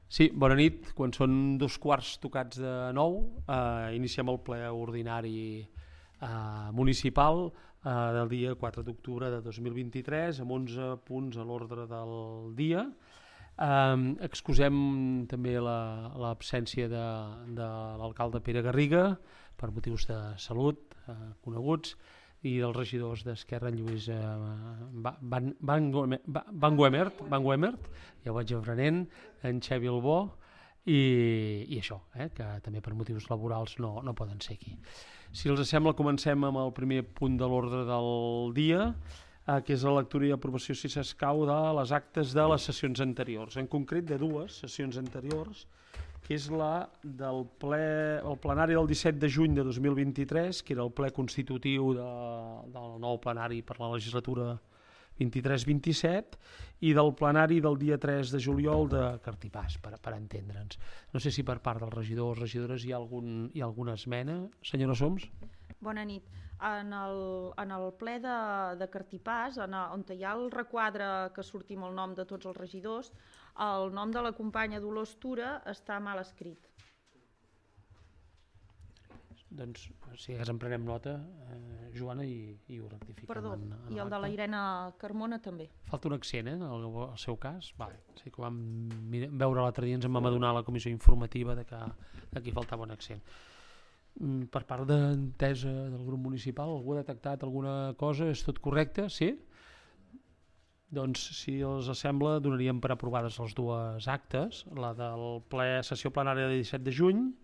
Sí, bona nit. Quan són 2:15 iniciem el ple ordinari municipal del dia 4 d'octubre de 2023 amb 11 punts a l'ordre del dia. Excusem també l'absència de l'alcalde Pere Garriga per motius de salut coneguts, i dels regidors d'Esquerra, en Lluís Van Guemert, ja ho vaig aprenent, en Xavi Albó, i això, que també per motius laborals no poden ser aquí. Si els sembla, comencem amb el primer punt de l'ordre del dia, que és la lectura i aprovació, si s'escau, de les actes de les sessions anteriors, en concret de dues sessions anteriors, que és la del plenari del 17 de juny de 2023, que era el ple constitutiu del nou plenari per la legislatura 23-27, i del plenari del dia 3 de juliol de Cartipàs, per entendre'ns. No sé si per part dels regidors o regidores hi ha alguna esmena. Senyora Soms? Bona nit. En el ple de Cartipàs, on hi ha el requadre que surti amb el nom de tots els regidors, el nom de la companya Dolors Tura està mal escrit. Doncs, si en prenem nota, Joana, i ho rectifiquem. Perdó, i el de la Irene Carmona també. Falta un accent, en el seu cas? Vale. Sí que vam veure l'altre dia, ens en vam adonar a la comissió informativa de que aquí faltava un accent. Per part d'entesa del grup municipal, algú ha detectat alguna cosa? És tot correcte? Sí? Doncs, si els sembla, donaríem per aprovades les dues actes, la del sessió plenària del 17 de juny,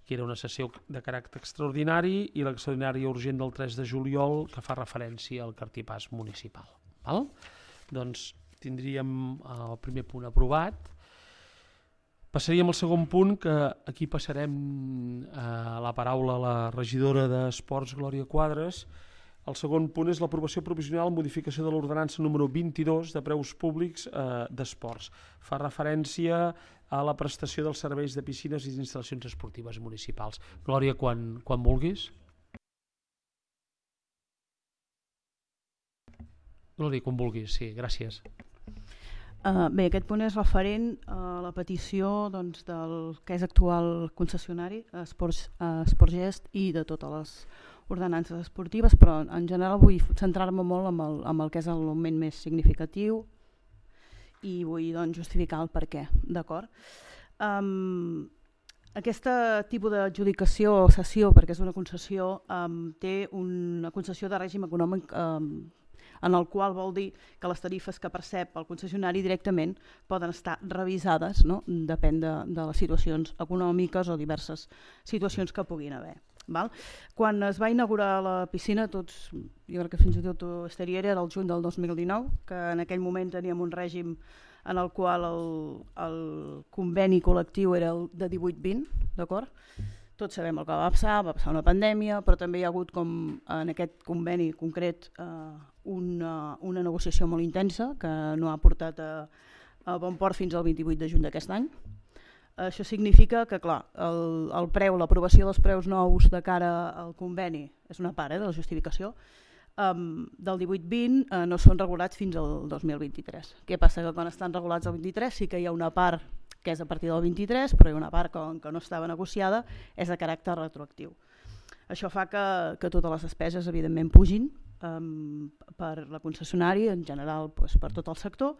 que era una sessió de caràcter extraordinari, i l'extraordinària urgent del 3 de juliol, que fa referència al Cartipàs municipal. Val? Doncs tindríem el primer punt aprovat. Passaríem al segon punt, que aquí passarem la paraula a la regidora d'Esports, Glòria Quadres. El segon punt és l'aprovació provisional modificació de l'ordenança número 22 de preus públics d'esports. Fa referència a la prestació dels serveis de piscines i instal·lacions esportives municipals. Glòria, quan vulguis. Glòria, quan vulguis, sí, gràcies. Bé, aquest punt és referent a la petició del que és actual concessionari, Esportgest, i de totes les ordenances esportives, però en general vull centrar-me molt en el que és el moment més significatiu i vull justificar el per què, d'acord? Aquest tipus d'adjudicació o cessió, perquè és una concessió, té una concessió de règim econòmic en el qual vol dir que les tarifes que percep el concessionari directament poden estar revisades, no? Depèn de les situacions econòmiques o diverses situacions que puguin haver. Val? Quan es va inaugurar la piscina, jo crec que fins i tot ho estaria, era el juny del 2019, que en aquell moment teníem un règim en el qual el conveni col·lectiu era el de 18-20, d'acord? Tots sabem el que va passar una pandèmia, però també hi ha hagut, com en aquest conveni concret, una negociació molt intensa que no ha portat a bon port fins al 28 de juny d'aquest any. Això significa que, clar, el preu, l'aprovació dels preus nous de cara al conveni, és una part de la justificació, del 18-20 no són regulats fins al 2023. Què passa? Que quan estan regulats al 23 sí que hi ha una part que és a partir del 23, però hi ha una part que no estava negociada, és de caràcter retroactiu. Això fa que totes les despeses, evidentment, pugin per la concessionària, en general per tot el sector.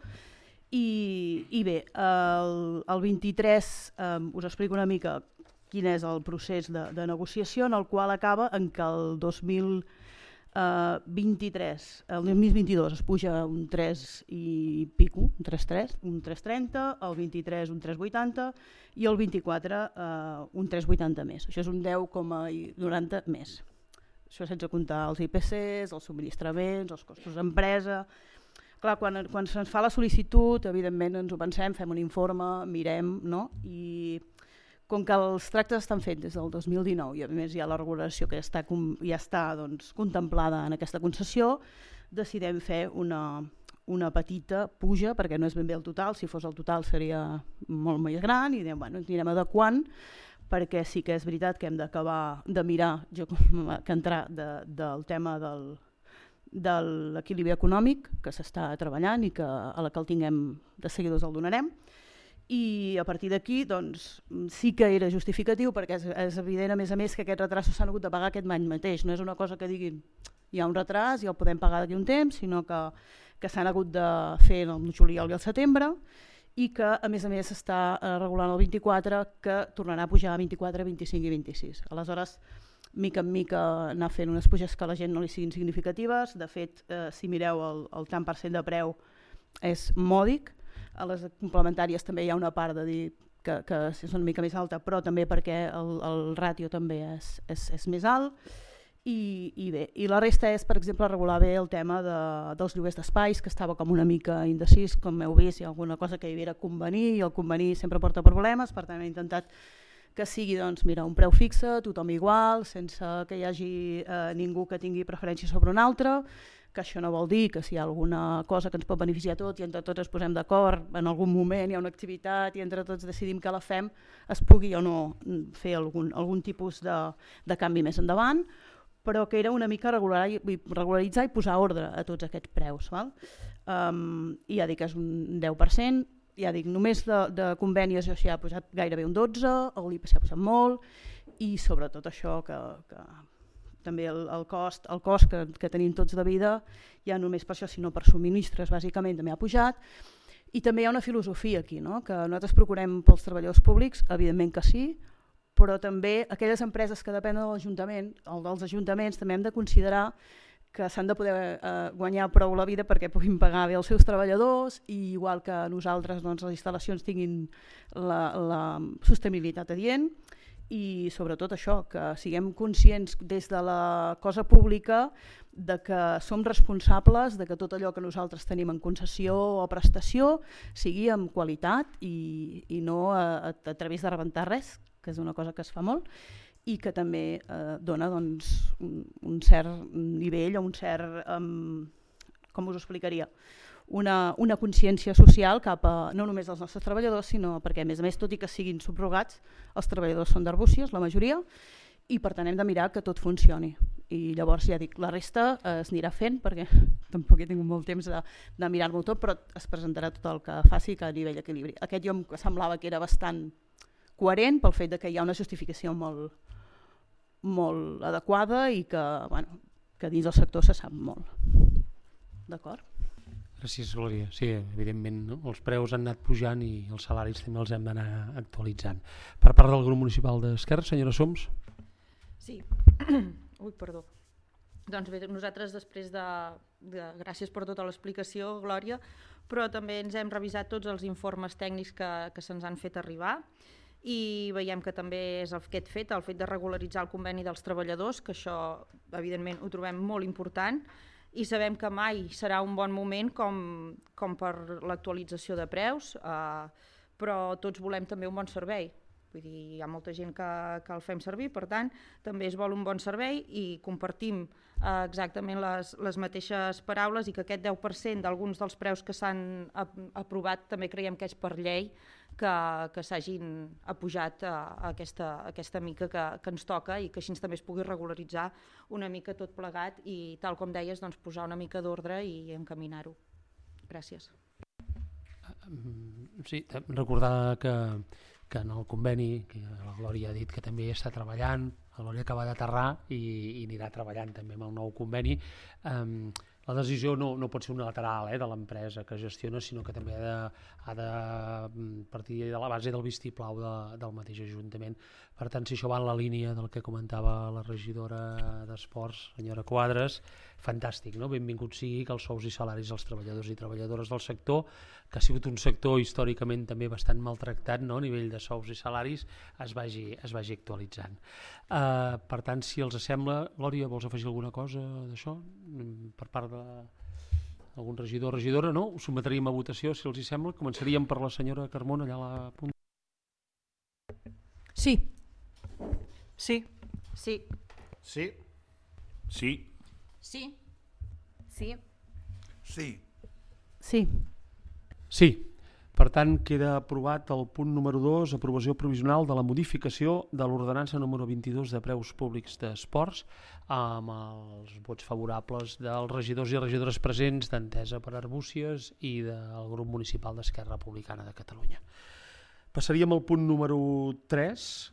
I bé, el 23 us explico una mica quin és el procés de negociació, en el qual acaba en que el 2022 es puja un 3 i pico, un 3,3, un 3,30, el 23 un 3,80 i el 24 un 3,80 més. Això és un 10,90 més. Això sense comptar els IPCs, els subministraments, els costos d'empresa. Clar, quan se'ns fa la sol·licitud, evidentment ens ho pensem, fem un informe, mirem, no? I com que els tractes estan fets des del 2019 i a més hi ha la regulació que ja està contemplada en aquesta concessió, decidem fer una petita puja, perquè no és ben bé el total, si fos el total seria molt més gran, i diem, bueno, ens anirem adequant, perquè sí que és veritat que hem d'acabar de mirar, jo com que entrar del tema de l'equilibri econòmic que s'està treballant i que a la que el tinguem de seguida us el donarem, i a partir d'aquí doncs, sí que era justificatiu, perquè és evident a més que aquests retrasos s'han hagut de pagar aquest any mateix, no és una cosa que diguin hi ha un retras i el podem pagar d'aquí un temps, sinó que s'han hagut de fer el juliol i el setembre, i que a més està regulant el 24, que tornarà a pujar a 24, 25 i 26. Aleshores, mica en mica anar fent unes puges que a la gent no li siguin significatives. De fet, si mireu el tant per cent de preu és mòdic. A les complementàries també hi ha una part de dir que és una mica més alta, però també perquè el ràtio també és més alt. I bé, i la resta és, per exemple, regular bé el tema dels lloguers d'espais, que estava com una mica indecis, com heu vist, hi ha alguna cosa que hi havia a convenir, i el convenir sempre porta problemes, per tant he intentat que sigui doncs, mira, un preu fixe, tothom igual, sense que hi hagi ningú que tingui preferència sobre un altre, que això no vol dir que si hi ha alguna cosa que ens pot beneficiar a tots i entre tots ens posem d'acord, en algun moment hi ha una activitat i entre tots decidim que la fem, es pugui o no fer algun tipus de canvi més endavant, però que era una mica regularitzar i posar ordre a tots aquests preus. Val? I ja dic, és un 10%, ja dic, només de convenis això s'hi ha posat gairebé un 12%, l'IPC s'hi ha posat molt, i sobretot això que també el cost que tenim tots de vida, ja només per això, sinó per subministres, bàsicament també ha pujat. I també hi ha una filosofia aquí, no? Que nosaltres procurem pels treballadors públics, evidentment que sí, però també aquelles empreses que depenen de l'Ajuntament, o dels ajuntaments, també hem de considerar que s'han de poder guanyar prou la vida perquè puguin pagar bé els seus treballadors, i igual que nosaltres doncs, les instal·lacions tinguin la sostenibilitat adient, i sobretot això, que siguem conscients des de la cosa pública de que som responsables de que tot allò que nosaltres tenim en concessió o prestació sigui amb qualitat i no a través de rebentar res, que és una cosa que es fa molt, i que també dona doncs, un cert nivell o un cert, com us ho explicaria, una consciència social cap a no només dels nostres treballadors, sinó perquè a més, tot i que siguin subrogats, els treballadors són d'Arbúcies, la majoria, i per tant hem de mirar que tot funcioni. I llavors ja dic, la resta es anirà fent, perquè tampoc he tingut molt temps de mirar-m'ho tot, però es presentarà tot el que faci a nivell d'equilibri. Aquest jo em semblava que era bastant coherent pel fet que hi ha una justificació molt adequada i que dins del sector se sap molt. D'acord? Gràcies, Glòria. Sí, evidentment, no? Els preus han anat pujant i els salaris també els hem d'anar actualitzant. Per part del grup municipal d'Esquerra, senyora Soms? Sí. Ui, perdó. Doncs bé, nosaltres després gràcies per tota l'explicació, Glòria, però també ens hem revisat tots els informes tècnics que se'ns han fet arribar, i veiem que també és aquest fet, el fet de regularitzar el conveni dels treballadors, que això evidentment ho trobem molt important, i sabem que mai serà un bon moment com per l'actualització de preus, però tots volem també un bon servei. Vull dir, hi ha molta gent que el fem servir, per tant, també es vol un bon servei i compartim exactament les mateixes paraules, i que aquest 10% d'alguns dels preus que s'han aprovat també creiem que és per llei que s'hagin apujat a aquesta mica que ens toca, i que així també es pugui regularitzar una mica tot plegat i, tal com deies, doncs, posar una mica d'ordre i encaminar-ho. Gràcies. Sí, recordar que en el conveni, que la Glòria ha dit que també hi està treballant, la Glòria acaba d'aterrar i anirà treballant també amb el nou conveni. La decisió no pot ser unilateral de l'empresa que gestiona, sinó que també ha de partir de la base del vistiplau del mateix Ajuntament. Per tant, si això va en la línia del que comentava la regidora d'Esports, senyora Quadres, fantàstic, no? Benvingut sigui que els sous i salaris dels treballadors i treballadores del sector, que ha sigut un sector històricament també bastant maltractat, no? A nivell de sous i salaris, es vagi actualitzant. Per tant, si els sembla, Glòria, vols afegir alguna cosa d'això? Per part d'algun regidor o regidora, no? Ho sotmetríem a votació, si els sembla. Començaríem per la senyora Carmona, allà a la punta. Sí. Sí. Sí. Sí. Sí. Sí. Sí. Sí. Sí. Sí. Per tant, queda aprovat el punt número 2, aprovació provisional de la modificació de l'ordenança número 22 de preus públics d'esports, amb els vots favorables dels regidors i regidores presents d'Entesa per Arbúcies i del grup municipal d'Esquerra Republicana de Catalunya. Passaríem al punt número 3,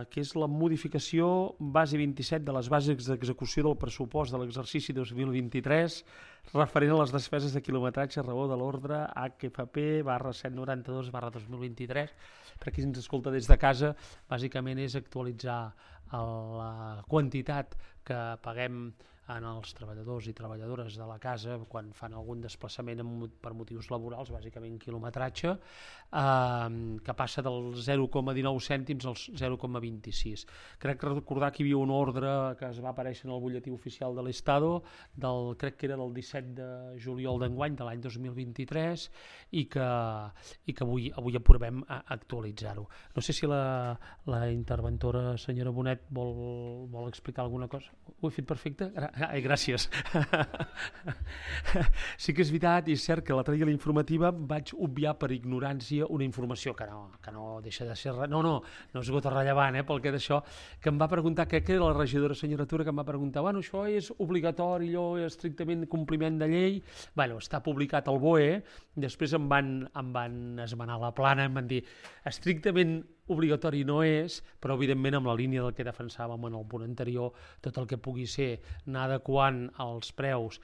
que és la modificació base 27 de les bases d'execució del pressupost de l'exercici 2023 referent a les despeses de quilometratge a raó de l'ordre HFP /792/2023. Per qui ens escolta des de casa, bàsicament és actualitzar la quantitat que paguem en els treballadors i treballadores de la casa quan fan algun desplaçament per motius laborals, bàsicament quilometratge, que passa dels 0,19 cèntims als 0,26. Crec recordar que hi havia un ordre que es va aparèixer en el butlletí oficial de l'Estado, crec que era del 17 de juliol d'enguany, de l'any 2023, i que avui aprovem a actualitzar-ho. No sé si la interventora, senyora Bonet, vol explicar alguna cosa. Ho he fet perfecte? Ai, gràcies. Sí que és veritat i és cert que l'altre dia a la informativa vaig obviar per ignorància una informació que no deixa de ser... No esgota rellevant, pel que d'això, que em va preguntar, crec que era la regidora senyora Tura, que em va preguntar, bueno, això és obligatori, allò és estrictament compliment de llei, bueno, està publicat al BOE, després em van esmenar la plana, em van dir, estrictament obligatori no és, però evidentment amb la línia del que defensàvem en el punt anterior, tot el que pugui ser anar adequant els preus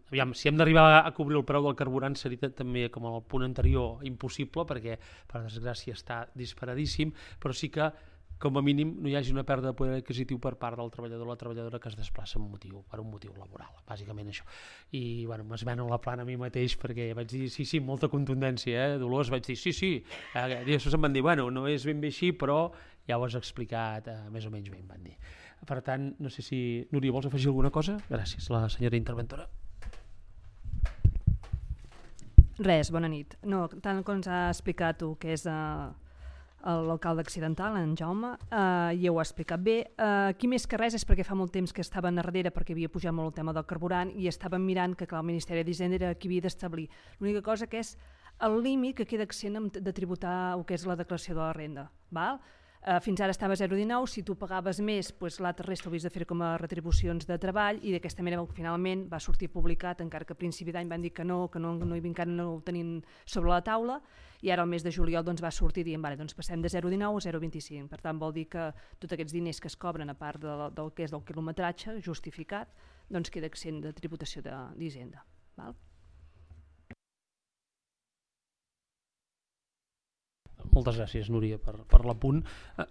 aviam, si hem d'arribar a cobrir el preu del carburant seria també com el punt anterior impossible perquè per desgràcia està disparadíssim, però sí que com a mínim no hi hagi una pèrdua de poder adquisitiu per part del treballador o la treballadora que es desplaça per un motiu laboral, bàsicament això. I bueno, m'esmeno la plana a mi mateix perquè vaig dir, sí, molta contundència, Dolors, vaig dir, sí, i després em van dir, bueno, no és ben bé així, però ja ho has explicat més o menys bé, em van dir. Per tant, no sé si... Núria, vols afegir alguna cosa? Gràcies, la senyora interventora. Res, bona nit. No, tant com ens ha explicat tu, que és l'alcalde accidental, en Jaume, ja ho ha explicat bé. Aquí més que res és perquè fa molt temps que estaven a darrere perquè havia pujat molt el tema del carburant i estaven mirant que el Ministeri d'Hisenda era qui havia d'establir. L'única cosa que és el límit que queda exempt de tributar el que és la declaració de la renda. Val? Fins ara estava a 0,19, si tu pagaves més, l'altre resta ho havies de fer com a retribucions de treball i d'aquesta manera finalment va sortir publicat, encara que a principi d'any van dir que encara no ho tenim sobre la taula i ara al mes de juliol va sortir dient doncs passem de 0,19 a 0,25. Per tant vol dir que tots aquests diners que es cobren a part del que és del quilometratge justificat queda exempt de tributació d'Hisenda. Moltes gràcies, Núria, per l'apunt.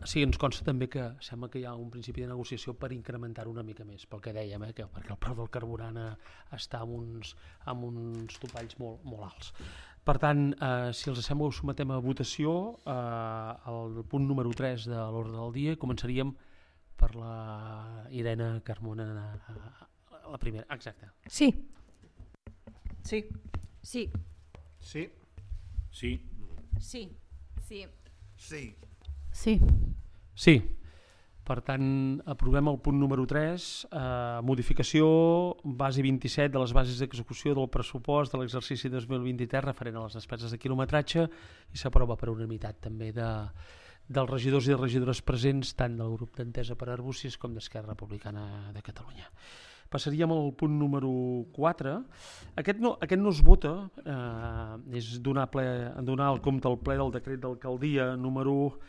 Sí, ens consta també que sembla que hi ha un principi de negociació per incrementar una mica més, pel que dèiem, perquè el preu del carburant està amb uns topalls molt alts. Per tant, si els sembla, ho sometem a votació al punt número 3 de l'ordre del dia. Començaríem per la Irene Carmona, la primera. Exacte. Sí. Sí. Sí. Sí. Sí. Sí. Sí. Sí. Sí. Sí. Per tant, aprovem el punt número 3, modificació base 27 de les bases d'execució del pressupost de l'exercici 2023 referent a les despeses de quilometratge i s'aprova per unanimitat també dels regidors i regidores presents tant del grup d'Entesa per Arbúcies com d'Esquerra Republicana de Catalunya. Passaríem al punt número 4. Aquest no es vota, és donar el compte al ple del decret d'alcaldia número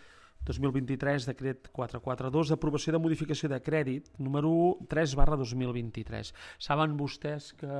2023, decret 442, d'aprovació de modificació de crèdit número 3/2023. Saben vostès que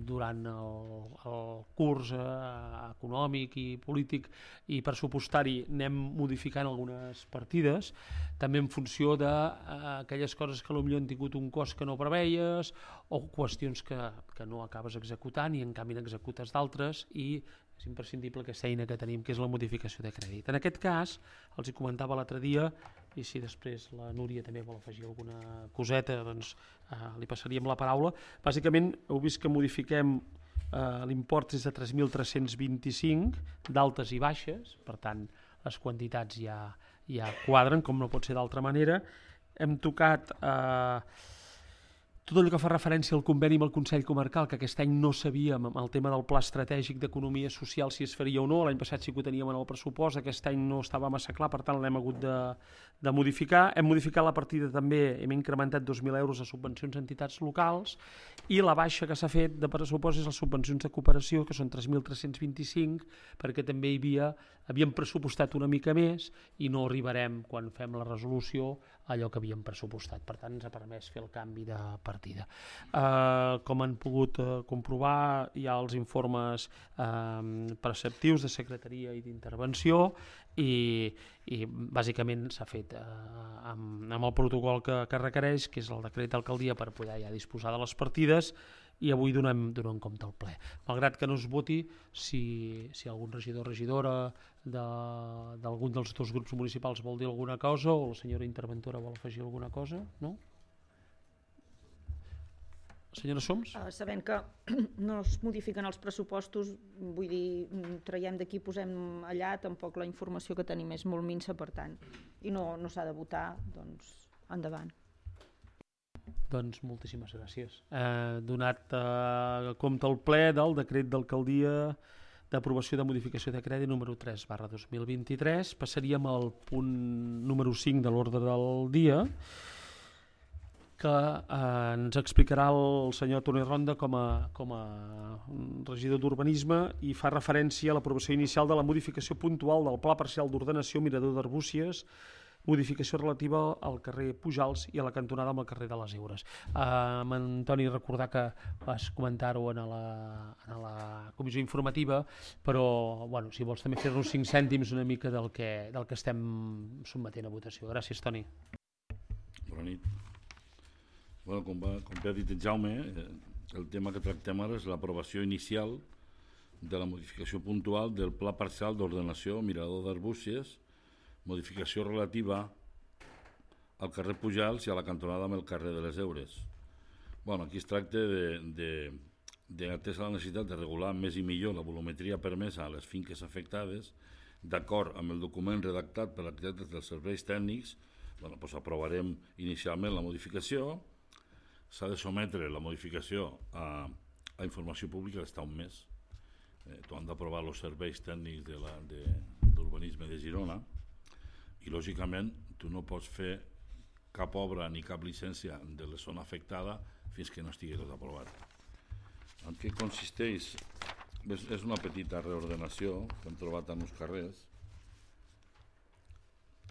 durant el curs econòmic i polític i pressupostari anem modificant algunes partides, també en funció d'aquelles coses que potser han tingut un cost que no preveies o qüestions que no acabes executant i en canvi n'executes d'altres i és imprescindible aquesta eina que tenim, que és la modificació de crèdit. En aquest cas, els hi comentava l'altre dia, i si després la Núria també vol afegir alguna coseta, doncs li passaríem la paraula. Bàsicament, heu vist que modifiquem l'import és de 3.325 d'altes i baixes, per tant, les quantitats ja quadren, com no pot ser d'altra manera. Hem tocat tot allò que fa referència al conveni amb el Consell Comarcal, que aquest any no sabíem el tema del pla estratègic d'economia social si es faria o no, l'any passat sí que ho teníem en el pressupost, aquest any no estava massa clar, per tant l'hem hagut de modificar. Hem modificat la partida també, hem incrementat 2.000 euros a subvencions a entitats locals, i la baixa que s'ha fet de pressupost és les subvencions de cooperació, que són 3.325, perquè també havíem pressupostat una mica més i no arribarem, quan fem la resolució, a allò que havíem pressupostat. Per tant, ens ha permès fer el canvi de partida. Com han pogut comprovar, hi ha els informes preceptius de secretaria i d'intervenció, i bàsicament s'ha fet amb el protocol que requereix, que és el decret d'alcaldia, per poder ja disposar de les partides, i avui donem compte al ple. Malgrat que no es voti, si algun regidor o regidora d'algun dels dos grups municipals vol dir alguna cosa, o la senyora interventora vol afegir alguna cosa, no? Senyora Soms? Sabent que no es modifiquen els pressupostos, vull dir, traiem d'aquí, posem allà, tampoc la informació que tenim és molt minsa, per tant, i no s'ha de votar, doncs endavant. Doncs moltíssimes gràcies. Donat compte al ple del decret d'alcaldia d'aprovació de modificació de crèdit número 3/2023, passaríem al punt número 5 de l'ordre del dia, que ens explicarà el senyor Toni Ronda com a regidor d'Urbanisme, i fa referència a l'aprovació inicial de la modificació puntual del Pla Parcial d'Ordenació Mirador d'Arbúcies, modificació relativa al carrer Pujals i a la cantonada amb el carrer de les Eures. Antoni, recordar que vas comentar-ho en la comissió informativa, però si vols també fer-nos 5 cèntims una mica del que estem sotmetent a votació. Gràcies, Toni. Bona nit. Com bé ha dit en Jaume, el tema que tractem ara és l'aprovació inicial de la modificació puntual del Pla Parcial d'Ordenació Mirador d'Arbúcies, modificació relativa al carrer Pujals i a la cantonada amb el carrer de les Eures. Aquí es tracta d'atès la necessitat de regular més i millor la volumetria permesa a les finques afectades, d'acord amb el document redactat per l'arquitecte dels serveis tècnics. Aprovarem inicialment la modificació, s'ha de sometre la modificació a informació pública d'estar un mes. T'ho han d'aprovar els serveis tècnics d'urbanisme de Girona, i lògicament tu no pots fer cap obra ni cap llicència de la zona afectada fins que no estigui tot aprovat. En què consisteix? És una petita reordenació que hem trobat en els carrers.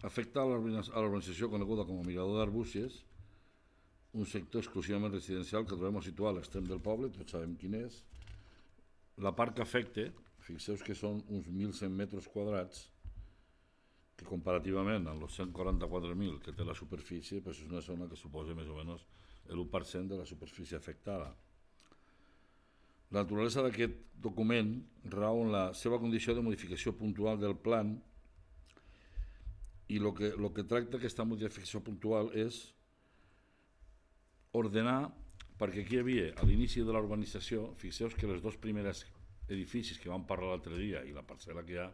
Afecta a l'urbanització coneguda com a Mirador d'Arbúcies, un sector exclusivament residencial que trobem situat a l'extrem del poble, tots sabem quin és. La part que afecta, fixeu que són uns 1.100 metres quadrats, que comparativament amb els 144.000 que té la superfície, és una zona que suposa més o menys l'1% de la superfície afectada. La naturalesa d'aquest document rau en la seva condició de modificació puntual del plan, i el que tracta aquesta modificació puntual és ordenar, perquè aquí hi havia a l'inici de la urbanització, fixeu que els dos primers edificis que vam parlar l'altre dia i la parcel·la que hi ha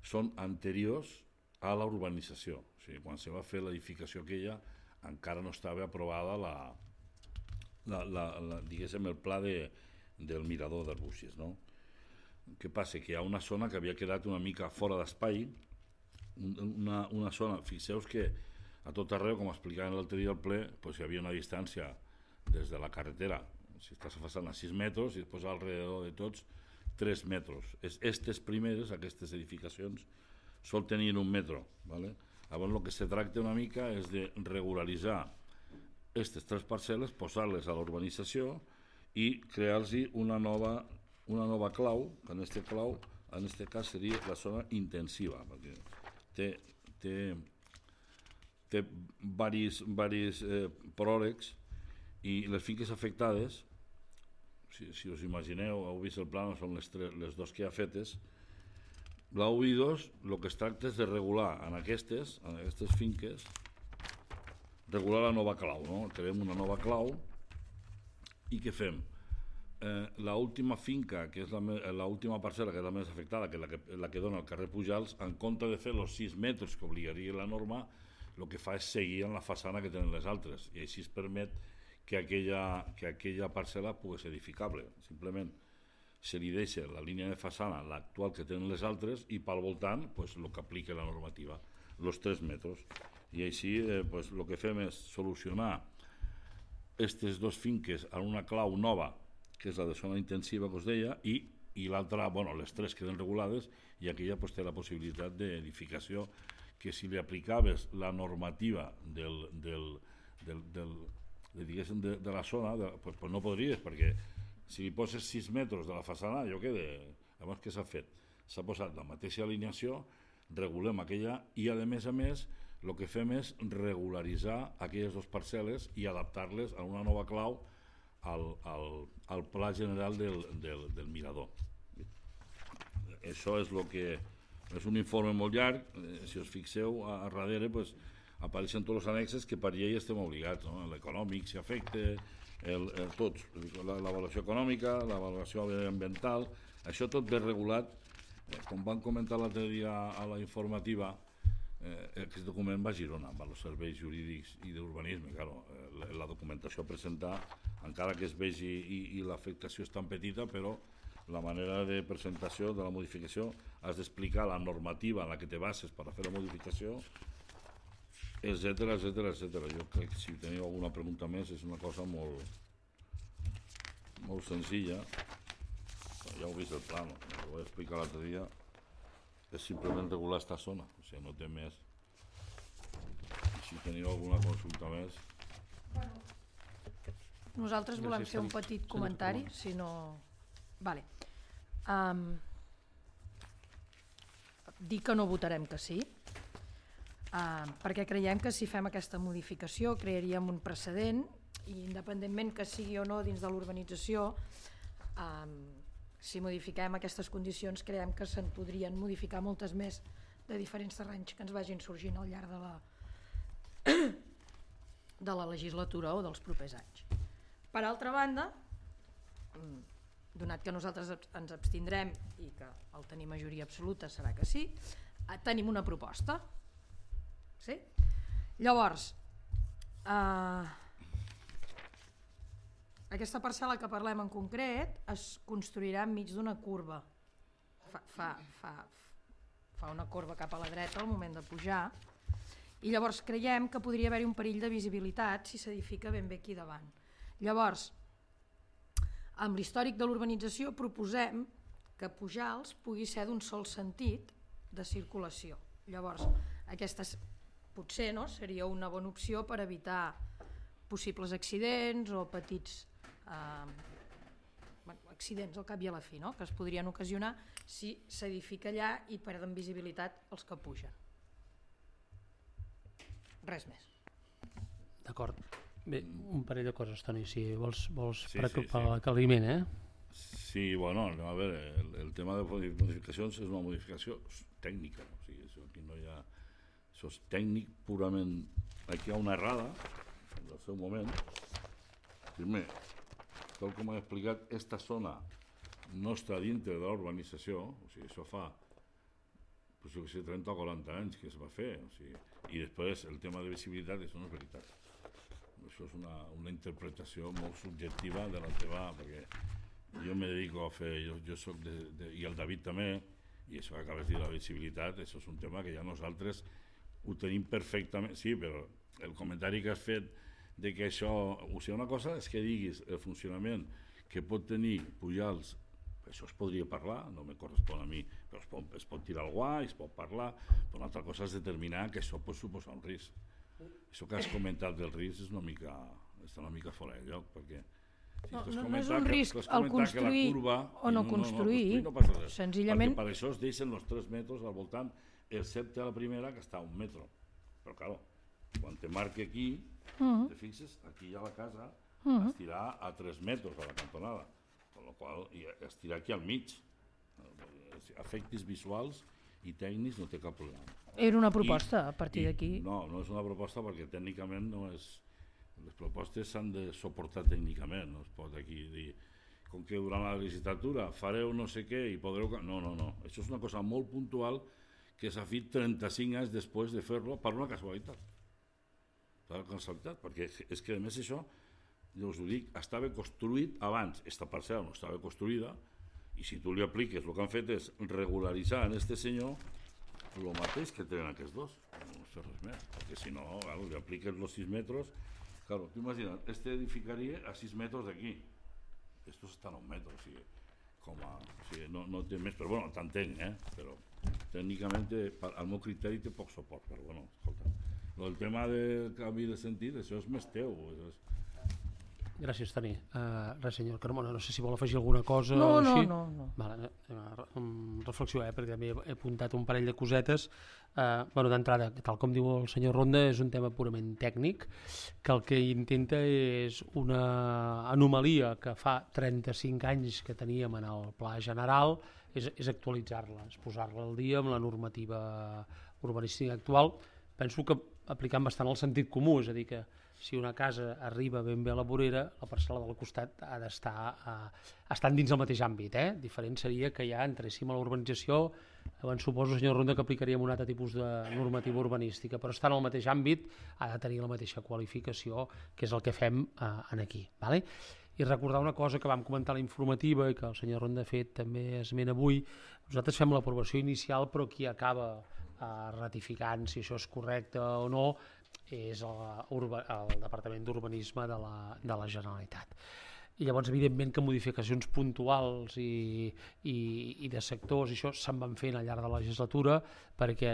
són anteriors a la urbanització. O sigui, quan se va fer l'edificació aquella encara no estava aprovada diguéssim, el pla del Mirador d'Arbúcies, no? Què passa? Que hi ha una zona que havia quedat una mica fora d'espai, una zona, fixeu que a tot arreu, com explicaven l'altre dia al ple, hi havia una distància des de la carretera, si estàs passant a 6 metres i després alrededor de tots 3 metres. Aquestes edificacions sol tenir 1 metre. Llavors el que se tracta una mica és de regularitzar aquestes 3 parcel·les, posar-les a l'urbanització i crear-los una nova clau, que en aquest cas seria la zona intensiva, perquè té diversos pròlegs, i les finques afectades, si us imagineu, heu vist el pla, són les dos que hi ha fetes. La 1 i 2, el que es tracta és de regular en aquestes finques, regular la nova clau, no? Creem una nova clau i què fem? L'última finca, que és l'última parcel·la, que és la més afectada, que és la que dona al carrer Pujals, en compte de fer els 6 metres que obligaria la norma, el que fa és seguir en la façana que tenen les altres, i així es permet que aquella parcel·la pugui ser edificable. Simplement se li deixa la línia de façana, l'actual que tenen les altres, i pel voltant el que aplica la normativa, els 3 metres. I així el que fem és solucionar aquestes 2 finques en una clau nova, que és la de zona intensiva que us deia, i l'altra, les 3 queden regulades, i aquella té la possibilitat d'edificació, que si li aplicaves la normativa de la zona, no podries, perquè si li poses 6 metres de la façana, allò queda... Llavors, què s'ha fet? S'ha posat la mateixa alineació, regulem aquella, i a més, el que fem és regularitzar aquelles 2 parcel·les i adaptar-les a una nova clau al pla general del mirador. Això és el que... És un informe molt llarg, si us fixeu, a darrere apareixen tots els annexes que per llei estem obligats, l'econòmic s'hi afecta, tots, l'avaluació econòmica, l'avaluació ambiental, això tot ben regulat. Com van comentar l'altre dia a la informativa, aquest document va a Girona, amb els serveis jurídics i d'urbanisme. La documentació a presentar, encara que es vegi i l'afectació és tan petita, però la manera de presentació de la modificació has d'explicar la normativa en la que te bases per a fer la modificació, etcètera. Jo crec que si teniu alguna pregunta més és una cosa molt senzilla. Ja heu vist el pla, ho vaig explicar l'altre dia, és simplement regular esta zona, o sigui, no té més. Si teniu alguna consulta més... Nosaltres volem fer un petit comentari, si no... Vale. Dir que no votarem que sí, perquè creiem que si fem aquesta modificació crearíem un precedent, i independentment que sigui o no dins de l'urbanització, si modifiquem aquestes condicions creiem que se'n podrien modificar moltes més de diferents terrenys que ens vagin sorgint al llarg de la legislatura o dels propers anys. Per altra banda, donat que nosaltres ens abstindrem i que el tenir majoria absoluta serà que sí, tenim una proposta. Sí? Llavors, aquesta parcel·la que parlem en concret es construirà enmig d'una curva. Fa una corba cap a la dreta al moment de pujar, i llavors creiem que podria haver-hi un perill de visibilitat si s'edifica ben bé aquí davant. Llavors, amb l'històric de l'urbanització proposem que Pujals pugui ser d'un sol sentit de circulació. Llavors, aquesta potser seria una bona opció per evitar possibles accidents o petits accidents al cap i a la fi, que es podrien ocasionar si s'edifica allà i perden visibilitat els que pugen. Res més. D'acord. Bé, un parell de coses, Toni, si vols Sí, per sí. aclariment, Sí, bueno, a veure, el tema de modificacions és una modificació tècnica, o sigui, això aquí no hi ha... Això és tècnic purament... Aquí hi ha una errada, en el seu moment. Primer, tal com he explicat, aquesta zona no està dintre de la urbanització, o sigui, això fa 30 o 40 anys que es va fer, o sigui, i després el tema de visibilitat, això no és veritat. Això és una interpretació molt subjectiva de la teva, perquè jo me dedico a fer, jo soc i el David també, i això que acabes de dir, la visibilitat, això és un tema que ja nosaltres ho tenim perfectament, sí, però el comentari que has fet de que això, o sigui, una cosa és que diguis el funcionament que pot tenir Pujals, això es podria parlar, no me correspon a mi, però es pot tirar al guany, es pot parlar, però una altra cosa és determinar que això pot suposar un risc. Això que has comentat del risc és una mica fora de lloc, perquè no és un risc el construir o no construir, senzillament... Perquè per això es deixen els 3 metres al voltant, excepte a la primera que està a 1 metre. Però, clar, quan te marque aquí, te fixes, aquí hi ha la casa, estirar a 3 metres a la cantonada, amb la qual estirar aquí al mig. Efectes visuals i tècnics no té cap problema. Era una proposta a partir d'aquí. No és una proposta perquè tècnicament no és... Les propostes s'han de suportar tècnicament, no es pot aquí dir com que durant la legislatura fareu no sé què i podreu... No, això és una cosa molt puntual que s'ha fet 35 anys després de fer-lo per una casualitat. Per una casualitat, perquè és que a més això jo us ho dic, estava construït abans, esta parcel·la no estava construïda, i si tu li apliques, el que han fet és regularitzar en este senyor el mateix que tenen aquests dos, no fer res més, perquè si no, claro, li apliques els 6 metres, claro, tu imagina't, este edificaria a 6 metres d'aquí, estos estan a 1 metre, o sigui, no té més, però bueno, t'entenc, però tècnicament, al meu criteri té poc suport, però bueno, escolta, el tema del canvi de sentit, això és més teu. Gràcies, Toni. Res, senyor Carmona, no sé si vol afegir alguna cosa No. o així. No. Vale, reflexió, perquè també he apuntat un parell de cosetes. D'entrada, tal com diu el senyor Ronda, és un tema purament tècnic, que el que intenta és una anomalia que fa 35 anys que teníem en el pla general, és actualitzar-la, és posar-la al dia amb la normativa urbanística actual. Penso que aplicant bastant el sentit comú, és a dir, que si una casa arriba ben bé a la vorera, la parcel·la del costat ha d'estar estant dins el mateix àmbit. Diferent seria que ja entréssim a la urbanització, llavors suposo, senyor Ronda, que aplicaríem un altre tipus de normativa urbanística, però estar en el mateix àmbit ha de tenir la mateixa qualificació, que és el que fem aquí. Vale? I recordar una cosa que vam comentar a la informativa i que el senyor Ronda ha fet també esment avui, nosaltres fem l'aprovació inicial, però qui acaba ratificant si això és correcte o no és el Departament d'Urbanisme de la Generalitat. I llavors, evidentment, que modificacions puntuals i de sectors, i això se'n van fent al llarg de la legislatura, perquè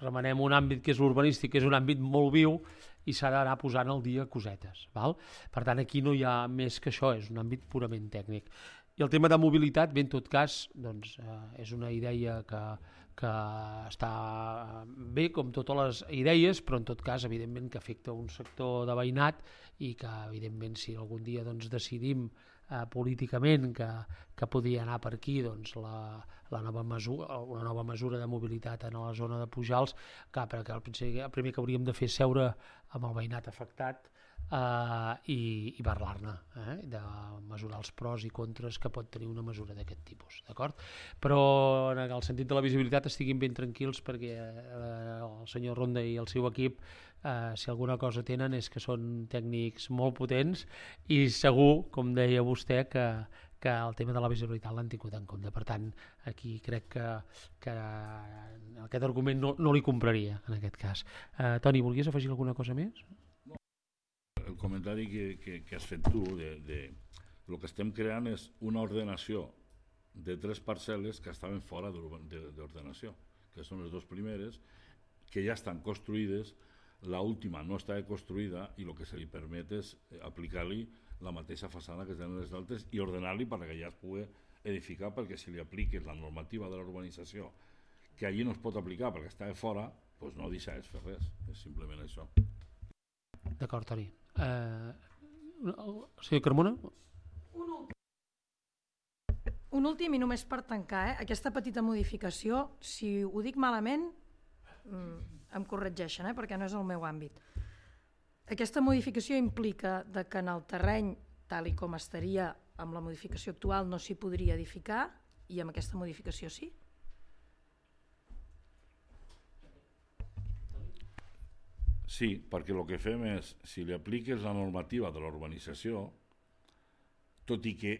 remenem un àmbit que és l'urbanístic, que és un àmbit molt viu, i s'ha d'anar posant al dia cosetes. Val? Per tant, aquí no hi ha més que això, és un àmbit purament tècnic. I el tema de mobilitat, bé, en tot cas, doncs, és una idea que està bé, com totes les idees, però en tot cas, evidentment, que afecta un sector de veïnat i que, evidentment, si algun dia decidim políticament que podia anar per aquí una nova mesura de mobilitat en la zona de Pujals, clar, perquè el primer que hauríem de fer és seure amb el veïnat afectat i parlar-ne, de mesurar els pros i contres que pot tenir una mesura d'aquest tipus, d'acord? Però en el sentit de la visibilitat estiguin ben tranquils, perquè el senyor Ronda i el seu equip, si alguna cosa tenen és que són tècnics molt potents i segur, com deia vostè, que el tema de la visibilitat l'han tingut en compte. Per tant, aquí crec que aquest argument no li compraria en aquest cas. Toni, volies afegir alguna cosa més? El comentari que has fet tu, el que estem creant és una ordenació de 3 parcel·les que estaven fora d'ordenació, que són les 2 primeres, que ja estan construïdes, l'última no estava construïda i el que se li permet és aplicar-li la mateixa façana que tenen les altres i ordenar-li perquè ja es pugui edificar, perquè si li apliques la normativa de la urbanització, que allí no es pot aplicar perquè està fora, doncs no deixaràs fer res, és simplement això. D'acord, Toni. Senyor Carmona? Un últim i només per tancar, aquesta petita modificació, si ho dic malament, em corregeixen, perquè no és el meu àmbit. Aquesta modificació implica que en el terreny, tal i com estaria amb la modificació actual, no s'hi podria edificar, i amb aquesta modificació sí? Sí, perquè el que fem és, si li apliques la normativa de la urbanització, tot i que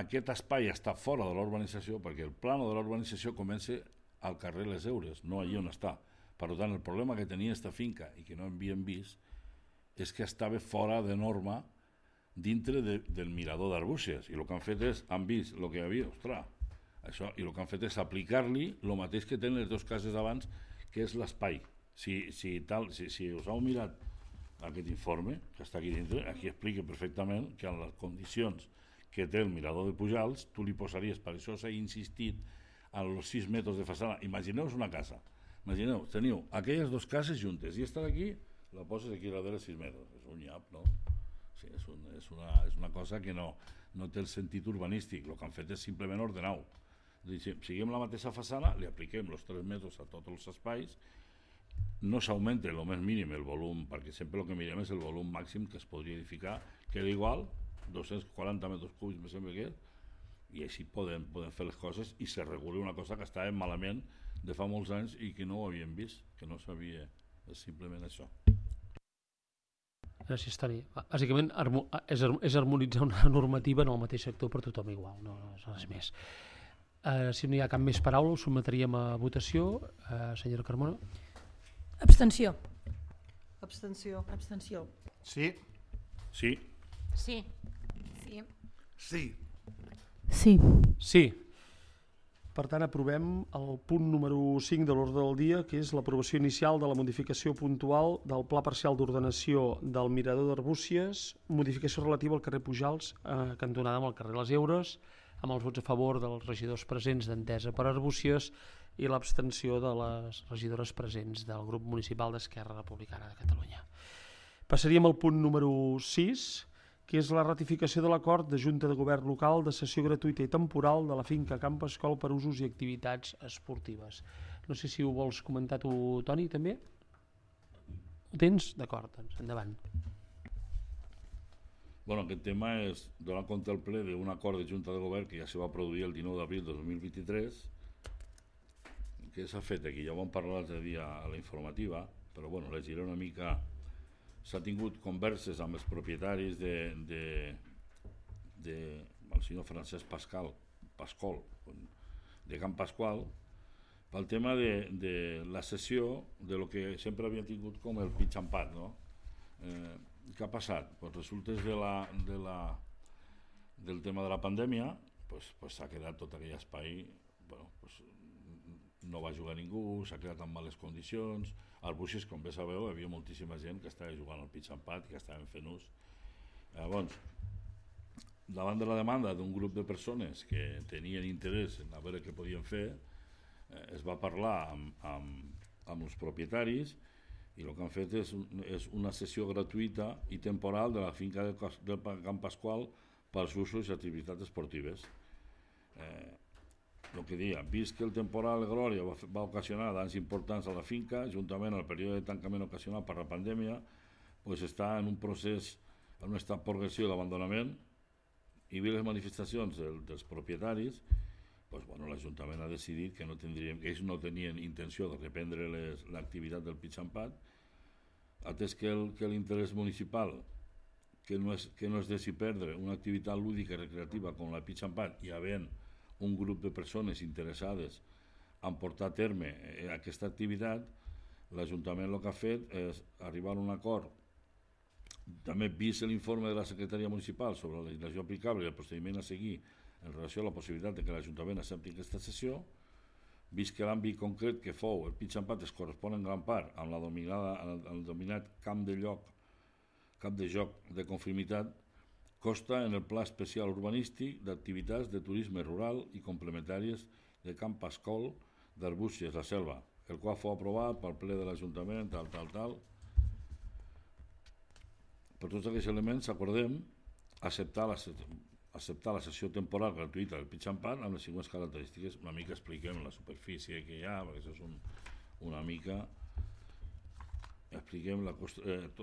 aquest espai està fora de la urbanització, perquè el plano de la urbanització comença al carrer Les Eures, no allí on està. Per tant, el problema que tenia aquesta finca i que no havíem vist és que estava fora de norma dintre del mirador d'Arbúcies, i el que han fet és, han vist el que hi havia, això, i el que han fet és aplicar-li el mateix que tenen les 2 cases abans, que és l'espai. Si us heu mirat aquest informe que està aquí dintre, aquí explica perfectament que en les condicions que té el mirador de Pujals tu li posaries, per això s'ha insistit en els 6 metres de façana. Imagineu-vos una casa, teniu aquelles 2 cases juntes i esta d'aquí la poses aquí darrere 6 metres, és un nyap, no? Sí, és una cosa que no té el sentit urbanístic, el que han fet és simplement ordenar-ho. Siguem la mateixa façana, li apliquem els 3 metres a tots els espais, no s'augmenta el més mínim el volum, perquè sempre el que mirem és el volum màxim que es podria edificar, queda igual, 240 metres cúbics, me sembla que és, i així podem fer les coses i se regula una cosa que estava malament de fa molts anys i que no ho havíem vist, que no sabia, és simplement això. veure si estaria... Bàsicament és harmonitzar una normativa en el mateix sector per tothom igual, no és res més. Si no hi ha cap més paraula, ho sotmetríem a votació. Senyora Carmona? Abstenció. Abstenció. Abstenció. Sí. Sí. Sí. Sí. Sí. Sí. Sí. Per tant, aprovem el punt número 5 de l'ordre del dia, que és l'aprovació inicial de la modificació puntual del Pla Parcial d'Ordenació del Mirador d'Arbúcies, modificació relativa al carrer Pujals, cantonada amb el carrer Les Eures, amb els vots a favor dels regidors presents d'Entesa per Arbúcies i l'abstenció de les regidores presents del grup municipal d'Esquerra Republicana de Catalunya. Passaríem al punt número 6, que és la ratificació de l'acord de Junta de Govern Local de cessió gratuïta i temporal de la finca Camp Escol per usos i activitats esportives. No sé si ho vols comentar tu, Toni, també? Ho tens? D'acord, doncs endavant. Bueno, aquest tema és donar compte al ple d'un acord de Junta de Govern que ja se va produir el 19 d'abril de 2023, que s'ha fet aquí, ja ho vam parlar l'altre dia a la informativa, però bueno, llegiré una mica. S'ha tingut converses amb els propietaris del senyor Francesc Pascol de Camp Pasqual pel tema de la cessió de lo que sempre havien tingut com el pitch and pad, no? Què ha passat? Pues resultes del tema de la pandèmia, pues s'ha quedat tot aquell espai, bueno, pues no va jugar ningú, s'ha quedat en males condicions. Al Buixes, com bé sabeu, hi havia moltíssima gent que estava jugant al pitch and pad, que estaven fent ús. Llavors, davant de la demanda d'un grup de persones que tenien interès en a veure què podien fer, es va parlar amb els propietaris i el que han fet és una sessió gratuïta i temporal de la finca del Camp Pasqual pels usos i activitats esportives. El que deia, vist que el temporal Glòria va ocasionar danys importants a la finca, juntament al període de tancament ocasionat per la pandèmia, pues està en un procés, en un estat progressiu d'abandonament, i vi les manifestacions dels propietaris, pues, bueno, l'Ajuntament ha decidit que ells no tenien intenció de reprendre l'activitat del pitch and pad, atès que l'interès municipal, que no es deixi perdre una activitat lúdica i recreativa com la pitch and pad, i havent un grup de persones interessades en portar a terme aquesta activitat, l'Ajuntament el que ha fet és arribar a un acord, també vist l'informe de la Secretaria Municipal sobre la legislació aplicable i el procediment a seguir en relació a la possibilitat de que l'Ajuntament accepti aquesta sessió, vist que l'àmbit concret que fou el pitch and pad es correspon en gran part amb el dominat camp de joc de conformitat, consta en el Pla Especial Urbanístic d'activitats de turisme rural i complementàries de Camp Pasqual d'Arbúcies, la Selva, el qual fou aprovat pel ple de l'Ajuntament, tal. Per tots aquests elements acordem acceptar la sessió temporal gratuïta del pitch and pad amb les següents característiques. Una mica expliquem la superfície que hi ha, perquè això és una mica... Expliquem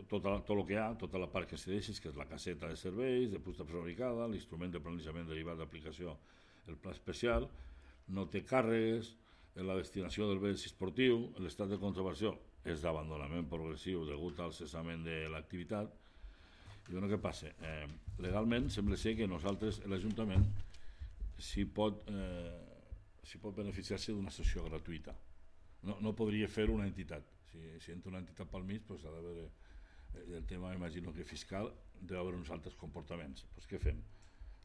tot el que hi ha, tota la part que se deixi, que és la caseta de serveis, de fusta prefabricada, l'instrument de planejament derivat d'aplicació, el pla especial, no té càrregues, la destinació del bé esportiu, l'estat de conservació és d'abandonament progressiu degut al cessament de l'activitat. I bueno, què passa? Legalment sembla ser que nosaltres, l'Ajuntament, s'hi pot beneficiar-se d'una sessió gratuïta. No podria fer una entitat. Si entra una entitat pel mig, doncs ha d'haver el tema, imagino que fiscal, deu haver uns altres comportaments. Doncs què fem?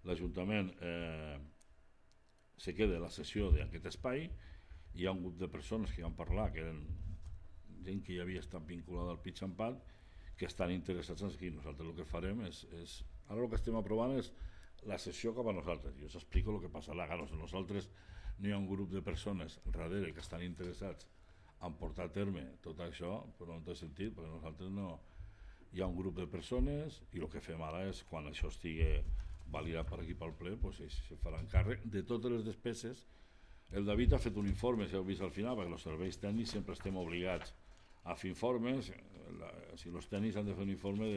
L'Ajuntament se queda la sessió d'aquest espai, hi ha un grup de persones que van parlar, que eren gent que ja havia estat vinculada al pitch and pad, que estan interessats en aquí. Nosaltres el que farem és... Ara el que estem aprovant és la sessió cap a nosaltres. Jo us explico el que passarà. Nosaltres no hi ha un grup de persones darrere que estan interessats en portar a terme tot això, però no té sentit, perquè nosaltres no... Hi ha un grup de persones i el que fem ara és, quan això estigui validat per aquí pel ple, doncs se faran càrrec de totes les despeses. El David ha fet un informe, si heu vist al final, perquè els serveis tècnics sempre estem obligats a fer informes, si els tècnics han de fer un informe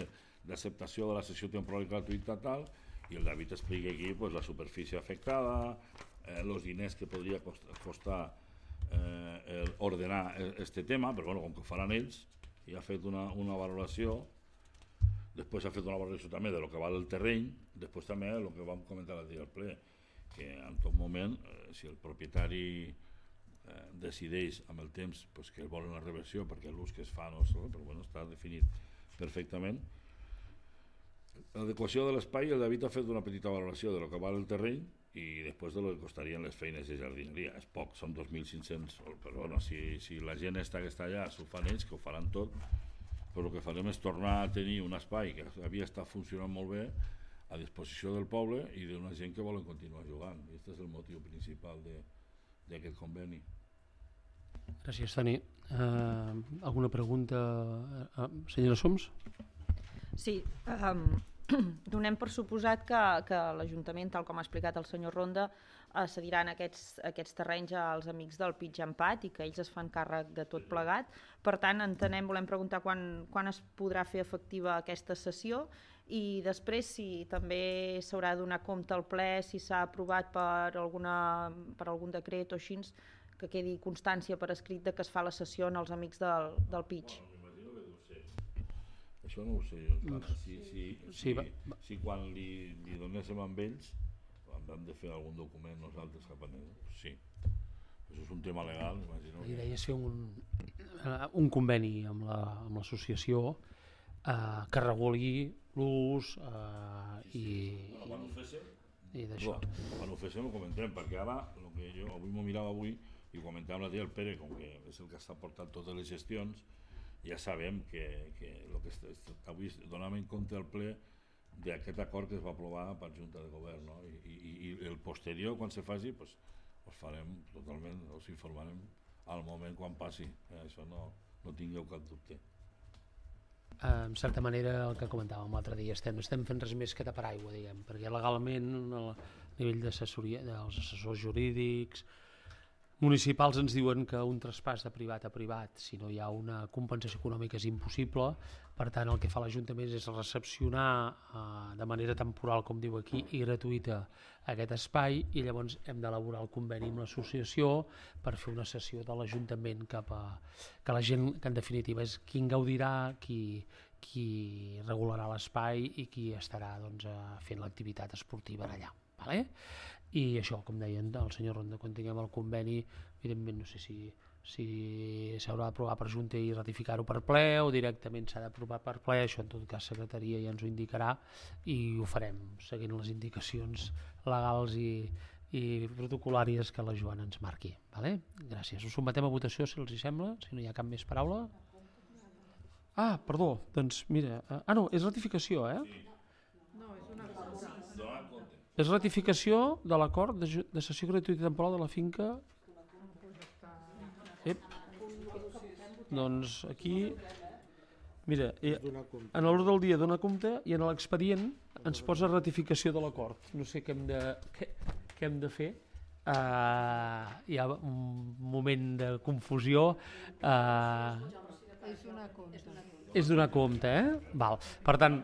d'acceptació de la sessió temporal i gratuïta tal, i el David explica aquí la superfície afectada, els diners que podria costar ordenar este tema, però bueno, com que ho faran ells, i ha fet una valoració Després s'ha fet una valoració també de lo que val el terreny, després també el que vam comentar l'altre dia al ple, que en tot moment, si el propietari decideix amb el temps pues, que volen la reversió perquè l'ús que es fa no és, però bueno, està definit perfectament. L'adequació de l'espai, el David ha fet una petita valoració de lo que val el terreny i després de lo que costarien les feines de jardineria. És poc, són 2.500, però bueno, si la gent que està allà s'ho fan ells, que ho faran tot, però el que farem és tornar a tenir un espai que havia estat funcionant molt bé a disposició del poble i d'una gent que volen continuar jugant. I aquest és el motiu principal d'aquest conveni. Gràcies, Toni. Alguna pregunta? Senyora Soms? Sí, donem per suposat que l'Ajuntament, tal com ha explicat el senyor Ronda, cediran aquests terrenys als amics del Pitx Empat i que ells es fan càrrec de tot plegat. Per tant, volem preguntar quan es podrà fer efectiva aquesta cessió i després si també s'haurà de donar compte al ple, si s'ha aprovat per algun decret o així, que quedi constància per escrit de que es fa la cessió als amics del Pitx. Això no ho sé jo. Si quan li donéssim amb ells hem de fer algun document nosaltres cap a ells, sí. Això és un tema legal, imagino. La idea és fer un conveni amb l'associació que reguli l'ús i d'això. Quan ho féssim ho comentem, perquè ara el que jo avui m'ho mirava i ho comentava l'altre dia el Pere, com que és el que està portant totes les gestions, ja sabem que avui donàvem en compte al ple d'aquest acord que es va aprovar per Junta de Govern, no? I el posterior, quan se faci, pues, us farem totalment, us informarem al moment quan passi, això no tingueu cap dubte. En certa manera, el que comentàvem l'altre dia, no estem fent res més que tapar aigua, diguem, perquè legalment a nivell d'assessoria dels assessors jurídics municipals ens diuen que un traspàs de privat a privat, si no hi ha una compensació econòmica, és impossible. Per tant, el que fa l'Ajuntament és recepcionar de manera temporal, com diu aquí, i gratuïta aquest espai, i llavors hem d'elaborar el conveni amb l'associació per fer una cessió de l'Ajuntament cap a que la gent, que en definitiva és qui en gaudirà, qui regularà l'espai i qui estarà fent l'activitat esportiva allà. Vale? I això, com deien el senyor Ronda, quan tinguem el conveni, evidentment no sé si s'haurà d'aprovar per Junta i ratificar-ho per ple o directament s'ha d'aprovar per ple, això en tot cas secretaria ja ens ho indicarà i ho farem seguint les indicacions legals i protocolàries que la Joana ens marqui. Vale? Gràcies. Us sotmetem a votació, si els hi sembla, si no hi ha cap més paraula. Perdó, doncs mira, no, és ratificació, És ratificació de l'acord de cessió gratuïta temporal de la finca. Doncs aquí, mira, en l'ordre del dia dona compte i en l'expedient ens posa ratificació de l'acord. No sé què hem de fer. Hi ha un moment de confusió. És donar compte, Val. Per tant,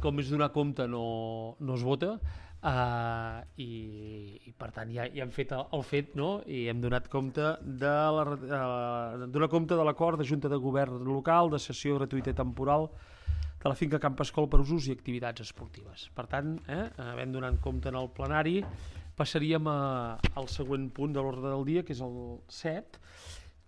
com és donar compte no es vota i per tant ja hem fet el fet, no? I hem donat compte de l'acord de Junta de Govern local de cessió gratuïta i temporal de la finca Camp Escol per usos i activitats esportives. Per tant, havent donat compte en el plenari, passaríem al següent punt de l'ordre del dia, que és el 7,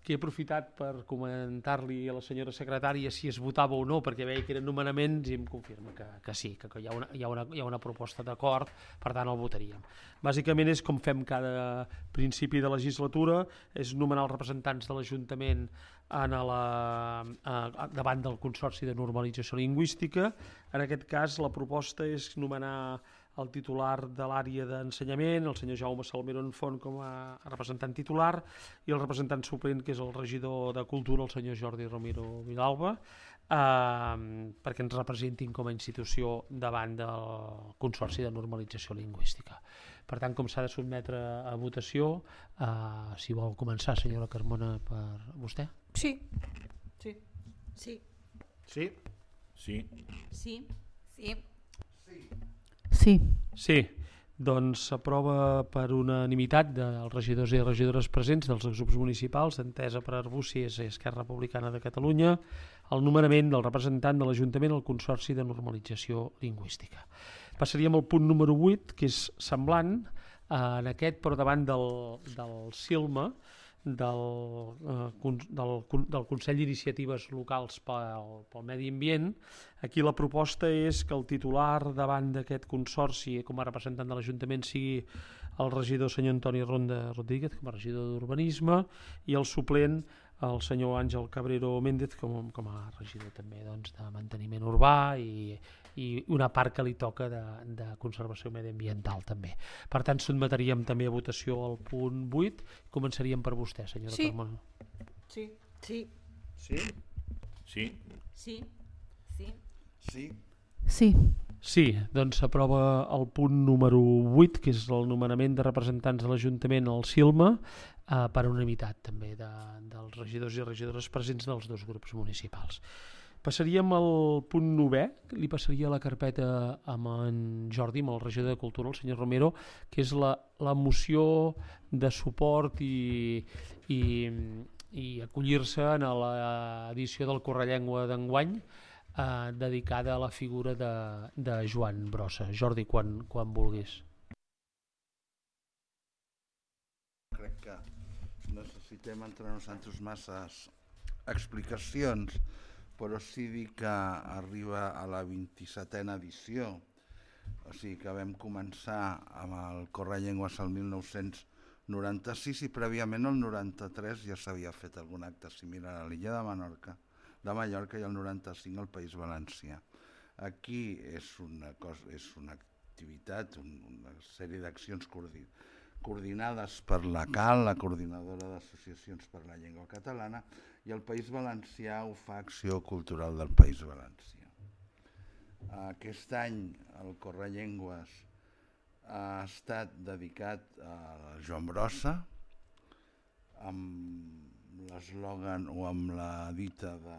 que he aprofitat per comentar-li a la senyora secretària si es votava o no, perquè veia que eren nomenaments i em confirma que sí, que hi ha una proposta d'acord, per tant el votaríem. Bàsicament és com fem cada principi de legislatura, és nomenar els representants de l'Ajuntament davant del Consorci de Normalització Lingüística. En aquest cas la proposta és nomenar el titular de l'àrea d'ensenyament, el senyor Jaume Salmerón Font, com a representant titular, i el representant suplent, que és el regidor de Cultura, el senyor Jordi Romero Vilalba, perquè ens representin com a institució davant del Consorci de Normalització Lingüística. Per tant, com s'ha de sotmetre a votació, si vol començar, senyora Carmona, per vostè? Sí. Sí. Sí. Sí. Sí. Sí. Sí. Sí. doncs s'aprova per unanimitat dels regidors i regidores presents dels grups municipals d'Entesa per Arbúcies i Esquerra Republicana de Catalunya el nomenament del representant de l'Ajuntament al Consorci de Normalització Lingüística. Passaríem al punt número 8, que és semblant en aquest, però davant del CILMA, del Consell d'Iniciatives Locals pel Medi Ambient. Aquí la proposta és que el titular davant d'aquest consorci com a representant de l'Ajuntament sigui el regidor senyor Antoni Ronda Rodríguez com a regidor d'Urbanisme i el suplent el senyor Àngel Cabrero Méndez com a regidor també doncs, de manteniment urbà i una part que li toca de conservació mediambiental també. Per tant, sotmetríem també a votació el punt 8. Començaríem per vostè, senyora Carmona. Sí. Sí? Sí. Sí. Sí, doncs s'aprova el punt número 8, que és el nomenament de representants de l'Ajuntament al CILMA, per unanimitat també dels regidors i regidores presents dels dos grups municipals. Passaríem al punt 9è, li passaria la carpeta amb en Jordi, amb el regidor de Cultura, el senyor Romero, que és la moció de suport i acollir-se a l'edició del Correllengua d'enguany, dedicada a la figura de Joan Brossa. Jordi, quan vulguis. Crec que necessitem entrar-nos en masses explicacions, però sí dir que arriba a la 27a edició, o sigui que vam començar amb el Correllengües el 1996 i prèviament el 93 ja s'havia fet algun acte similar a l'illa de Mallorca i el 95 al País Valencià. Aquí és una activitat, una sèrie d'accions coordinades per la CAL, la Coordinadora d'Associacions per la Llengua Catalana, i el País Valencià ho fa Acció Cultural del País Valencià. Aquest any el Correllengües ha estat dedicat a Joan Brossa, amb l'eslògan o amb la dita de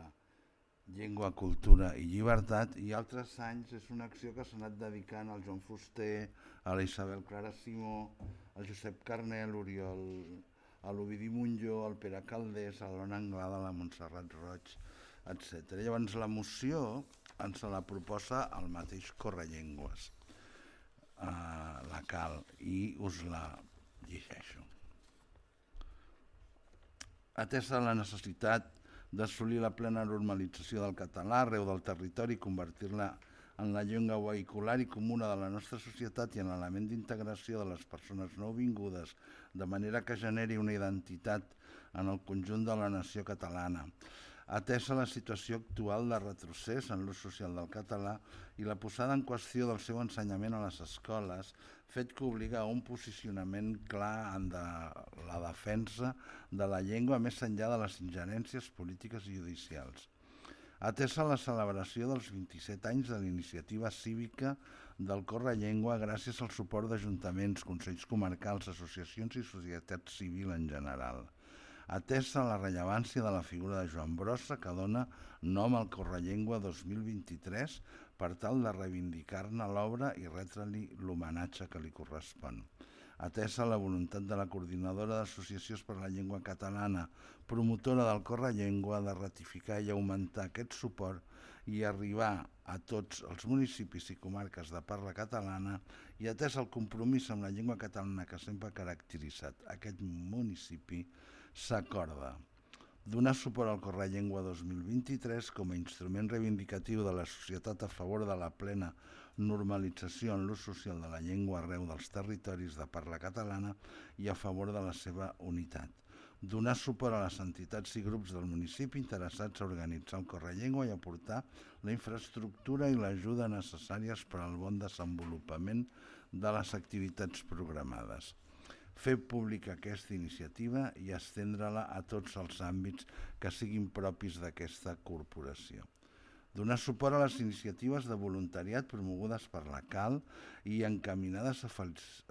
llengua, cultura i llibertat, i altres anys és una acció que s'ha anat dedicant al Joan Fuster, a la Isabel Clara Simó, al Josep Carner, a l'Oriol, a l'Ovidi Montllor, al Pere Caldés, a l'Ona Anglada, a la Montserrat Roig, etc. Llavors la moció ens la proposa el mateix Correllengües, la CAL, i us la llegeixo. Atesa la necessitat d'assolir la plena normalització del català arreu del territori i convertir-la en la llengua vehicular i comuna de la nostra societat i en l'element d'integració de les persones nouvingudes, de manera que generi una identitat en el conjunt de la nació catalana. Atesa la situació actual de retrocés en l'ús social del català i la posada en qüestió del seu ensenyament a les escoles, fet que obliga a un posicionament clar en la defensa de la llengua més enllà de les ingerències polítiques i judicials. Atesa la celebració dels 27 anys de l'iniciativa cívica del Correllengua gràcies al suport d'ajuntaments, consells comarcals, associacions i societat civil en general. Atesa la rellevància de la figura de Joan Brossa que dona nom al Correllengua 2023 per tal de reivindicar-ne l'obra i retre-li l'homenatge que li correspon. Atesa la voluntat de la Coordinadora d'Associacions per la Llengua Catalana, promotora del Correllengua, de ratificar i augmentar aquest suport i arribar a tots els municipis i comarques de parla catalana, i atès el compromís amb la llengua catalana que sempre ha caracteritzat aquest municipi, s'acorda donar suport al Correllengua 2023 com a instrument reivindicatiu de la societat a favor de la plena normalització en l'ús social de la llengua arreu dels territoris de parla catalana i a favor de la seva unitat. Donar suport a les entitats i grups del municipi interessats a organitzar el Correllengua i aportar la infraestructura i l'ajuda necessàries per al bon desenvolupament de les activitats programades. Fer pública aquesta iniciativa i estendre-la a tots els àmbits que siguin propis d'aquesta corporació. Donar suport a les iniciatives de voluntariat promogudes per la CAL i encaminades a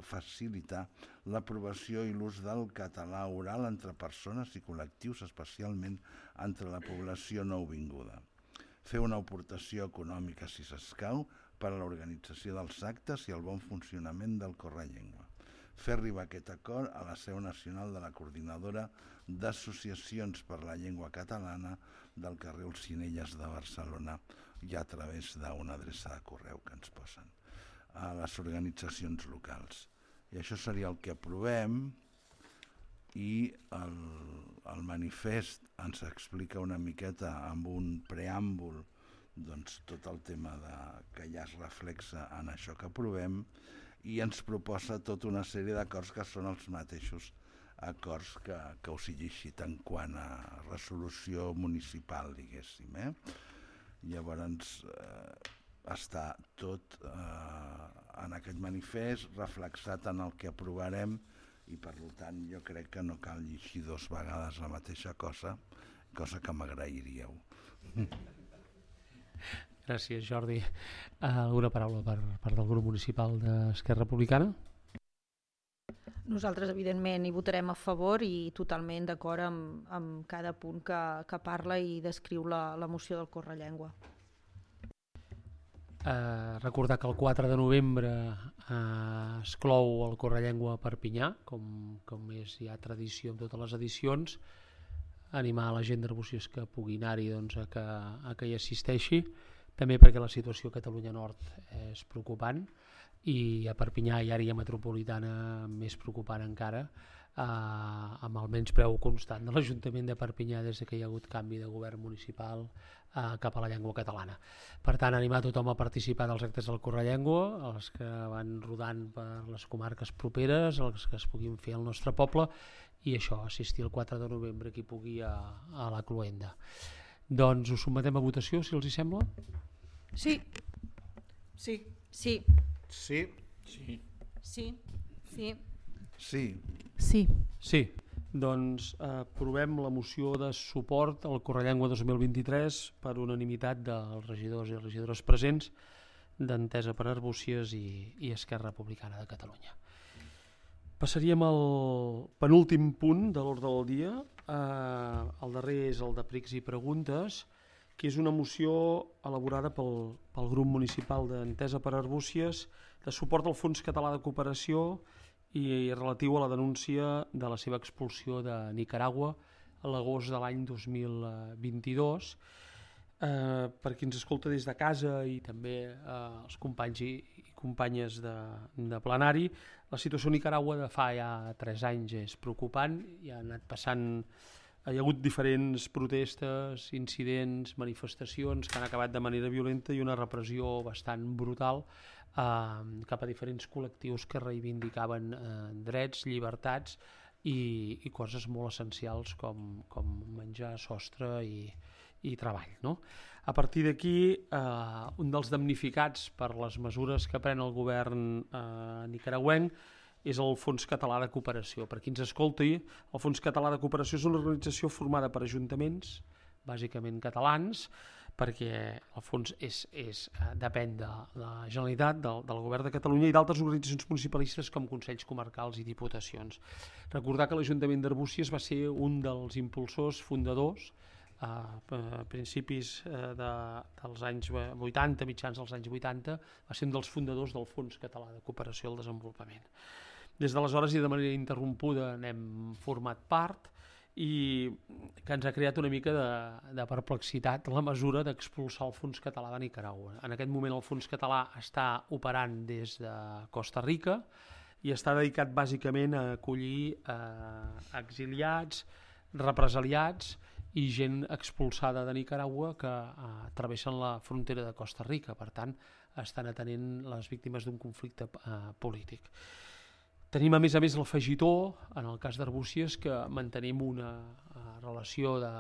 facilitar l'aprovació i l'ús del català oral entre persones i col·lectius, especialment entre la població nouvinguda. Fer una aportació econòmica, si s'escau, per a l'organització dels actes i el bon funcionament del Correllengua. Fer arribar aquest acord a la seu nacional de la Coordinadora d'Associacions per la Llengua Catalana del carrer Olzinelles de Barcelona i a través d'una adreça de correu que ens posen a les organitzacions locals. I això seria el que aprovem, i el manifest ens explica una miqueta amb un preàmbul doncs, tot el tema que ja es reflexa en això que aprovem, i ens proposa tota una sèrie d'acords que són els mateixos acords que us he llegit en quant a resolució municipal, diguéssim. Llavors està tot en aquest manifest reflexat en el que aprovarem, i per tant jo crec que no cal llegir 2 vegades la mateixa cosa que m'agrairíeu. Gràcies, Jordi. Alguna paraula per part del grup municipal d'Esquerra Republicana? Nosaltres, evidentment, hi votarem a favor i totalment d'acord amb cada punt que parla i descriu la moció del Correllengua. Recordar que el 4 de novembre es clou el Correllengua a Perpinyà, com és ja tradició en totes les edicions. Animar a la gent d'Arbúcies que pugui anar-hi a que hi assisteixi, també perquè la situació a Catalunya Nord és preocupant i a Perpinyà i àrea metropolitana més preocupant encara, amb el menyspreu constant de l'Ajuntament de Perpinyà des que hi ha hagut canvi de govern municipal cap a la llengua catalana. Per tant, animar tothom a participar dels actes del Correllengua, els que van rodant per les comarques properes, els que es puguin fer al nostre poble, i això, assistir el 4 de novembre qui pugui a la cloenda. Doncs ho sotmetem a votació, si els hi sembla? Sí. Sí. Sí. Sí? Sí. Sí. Sí. Sí. Sí. Sí. Doncs aprovem la moció de suport al Correllengua 2023 per unanimitat dels regidors i regidores presents d'Entesa per Arbúcies i Esquerra Republicana de Catalunya. Passaríem al penúltim punt de l'ordre del dia. El darrer és el de pregs i preguntes, que és una moció elaborada pel grup municipal d'Entesa per Arbúcies de suport al Fons Català de Cooperació i relatiu a la denúncia de la seva expulsió de Nicaragua a l'agost de l'any 2022. Per qui ens escolta des de casa i també els companys i companyes de plenari, la situació a Nicaragua de fa ja 3 anys és preocupant. Hi ha hagut diferents protestes, incidents, manifestacions que han acabat de manera violenta i una repressió bastant brutal cap a diferents col·lectius que reivindicaven drets, llibertats i coses molt essencials com menjar, sostre i treball, no? A partir d'aquí, un dels damnificats per les mesures que pren el govern nicaragüenc és el Fons Català de Cooperació. Per qui ens escolti, el Fons Català de Cooperació és una organització formada per ajuntaments, bàsicament catalans, perquè el fons depèn de la Generalitat, del Govern de Catalunya i d'altres organitzacions municipalistes com Consells Comarcals i Diputacions. Recordar que l'Ajuntament d'Arbúcies va ser un dels impulsors fundadors a principis dels anys 80, mitjans dels anys 80, va ser un dels fundadors del Fons Català de Cooperació al Desenvolupament. Des d'aleshores i de manera interrompuda n'hem format part i que ens ha creat una mica de perplexitat la mesura d'expulsar el Fons Català de Nicaragua. En aquest moment el Fons Català està operant des de Costa Rica i està dedicat bàsicament a acollir exiliats, represaliats i gent expulsada de Nicaragua que travessen la frontera de Costa Rica. Per tant, estan atenent les víctimes d'un conflicte polític. Tenim a més l'afegitó, en el cas d'Arbúcies, que mantenim una relació de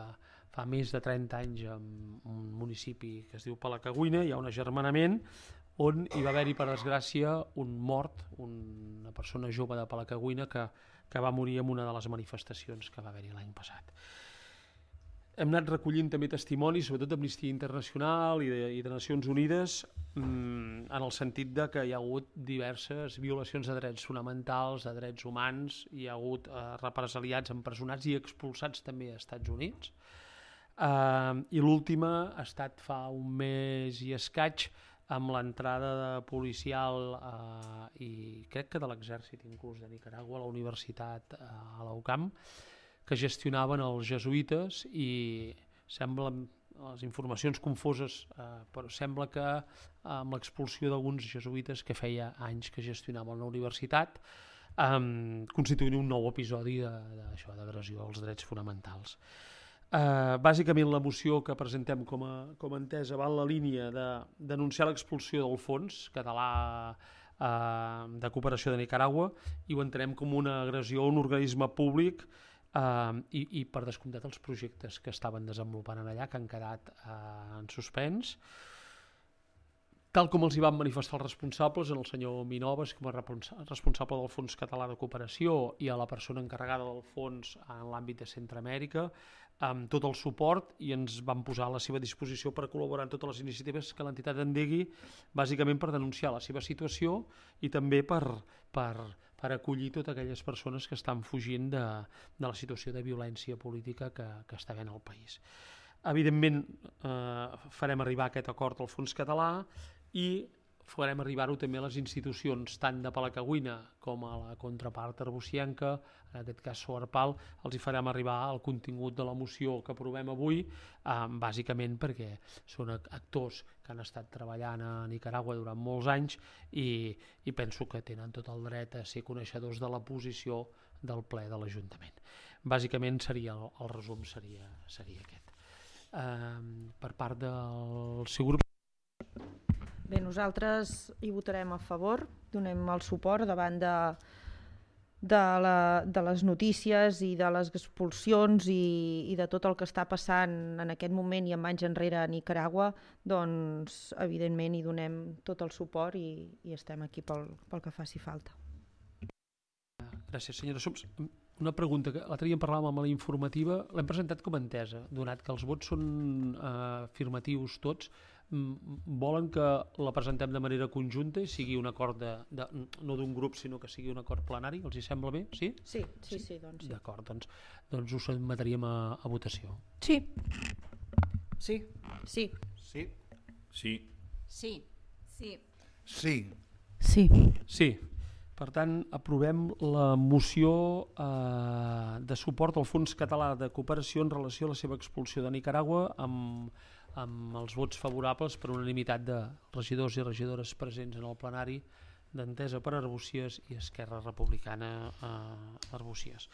fa més de 30 anys amb un municipi que es diu Palacagüina. Hi ha un agermanament on hi va haver-hi, per desgràcia, un mort, una persona jove de Palacagüina que va morir en una de les manifestacions que va haver-hi l'any passat. Hem anat recollint també testimonis, sobretot d'Amnistia Internacional i de Nacions Unides, en el sentit de que hi ha hagut diverses violacions de drets fonamentals, de drets humans, hi ha hagut represaliats, empresonats i expulsats també als Estats Units. I l'última ha estat fa un mes i escaig amb l'entrada policial i crec que de l'exèrcit inclús de Nicaragua a la universitat a la UCAM, que gestionaven els jesuïtes, i sembla, les informacions confoses, però sembla que amb l'expulsió d'alguns jesuïtes que feia anys que gestionaven la universitat, constituint un nou episodi d'agressió als drets fonamentals. Bàsicament la moció que presentem com a entesa va en la línia de denunciar l'expulsió del Fons Català de Cooperació de Nicaragua, i ho entenem com una agressió a un organisme públic, i per descomptat els projectes que estaven desenvolupant allà, que han quedat en suspens, tal com els hi van manifestar els responsables, el senyor Minoves com a responsable del Fons Català de Cooperació i a la persona encarregada del fons en l'àmbit de Centroamèrica, amb tot el suport, i ens van posar a la seva disposició per col·laborar en totes les iniciatives que l'entitat endegui, bàsicament per denunciar la seva situació i també per acollir totes aquelles persones que estan fugint de la situació de violència política que està havent al país. Evidentment, farem arribar aquest acord al Fons Català i farem arribar-ho també a les institucions, tant de Palacagüina com a la contrapart arbusienca, en aquest cas Soarpal. Els hi farem arribar el contingut de la moció que aprovem avui, bàsicament perquè són actors que han estat treballant a Nicaragua durant molts anys i penso que tenen tot el dret a ser coneixedors de la posició del ple de l'Ajuntament. Bàsicament el resum seria aquest. Per part del seu grup. Bé, nosaltres hi votarem a favor, donem el suport davant de les notícies i de les expulsions i de tot el que està passant en aquest moment i amb anys enrere a Nicaragua. Doncs evidentment hi donem tot el suport i estem aquí pel que faci falta. Gràcies, senyora Soms. Una pregunta, que l'altre dia en parlàvem amb la informativa, l'hem presentat com a entesa, donat que els vots són afirmatius tots. Volen que la presentem de manera conjunta i sigui un acord no d'un grup, sinó que sigui un acord plenari? Els hi sembla bé? Sí? Sí, doncs sí. D'acord, doncs ho sotmetríem a votació. Sí. Sí. Sí. Sí. Per tant, aprovem la moció de suport al Fons Català de Cooperació en relació a la seva expulsió de Nicaragua, amb els vots favorables per unanimitat de regidors i regidores presents en el plenari d'Entesa per Arbúcies i Esquerra Republicana Arbúcies.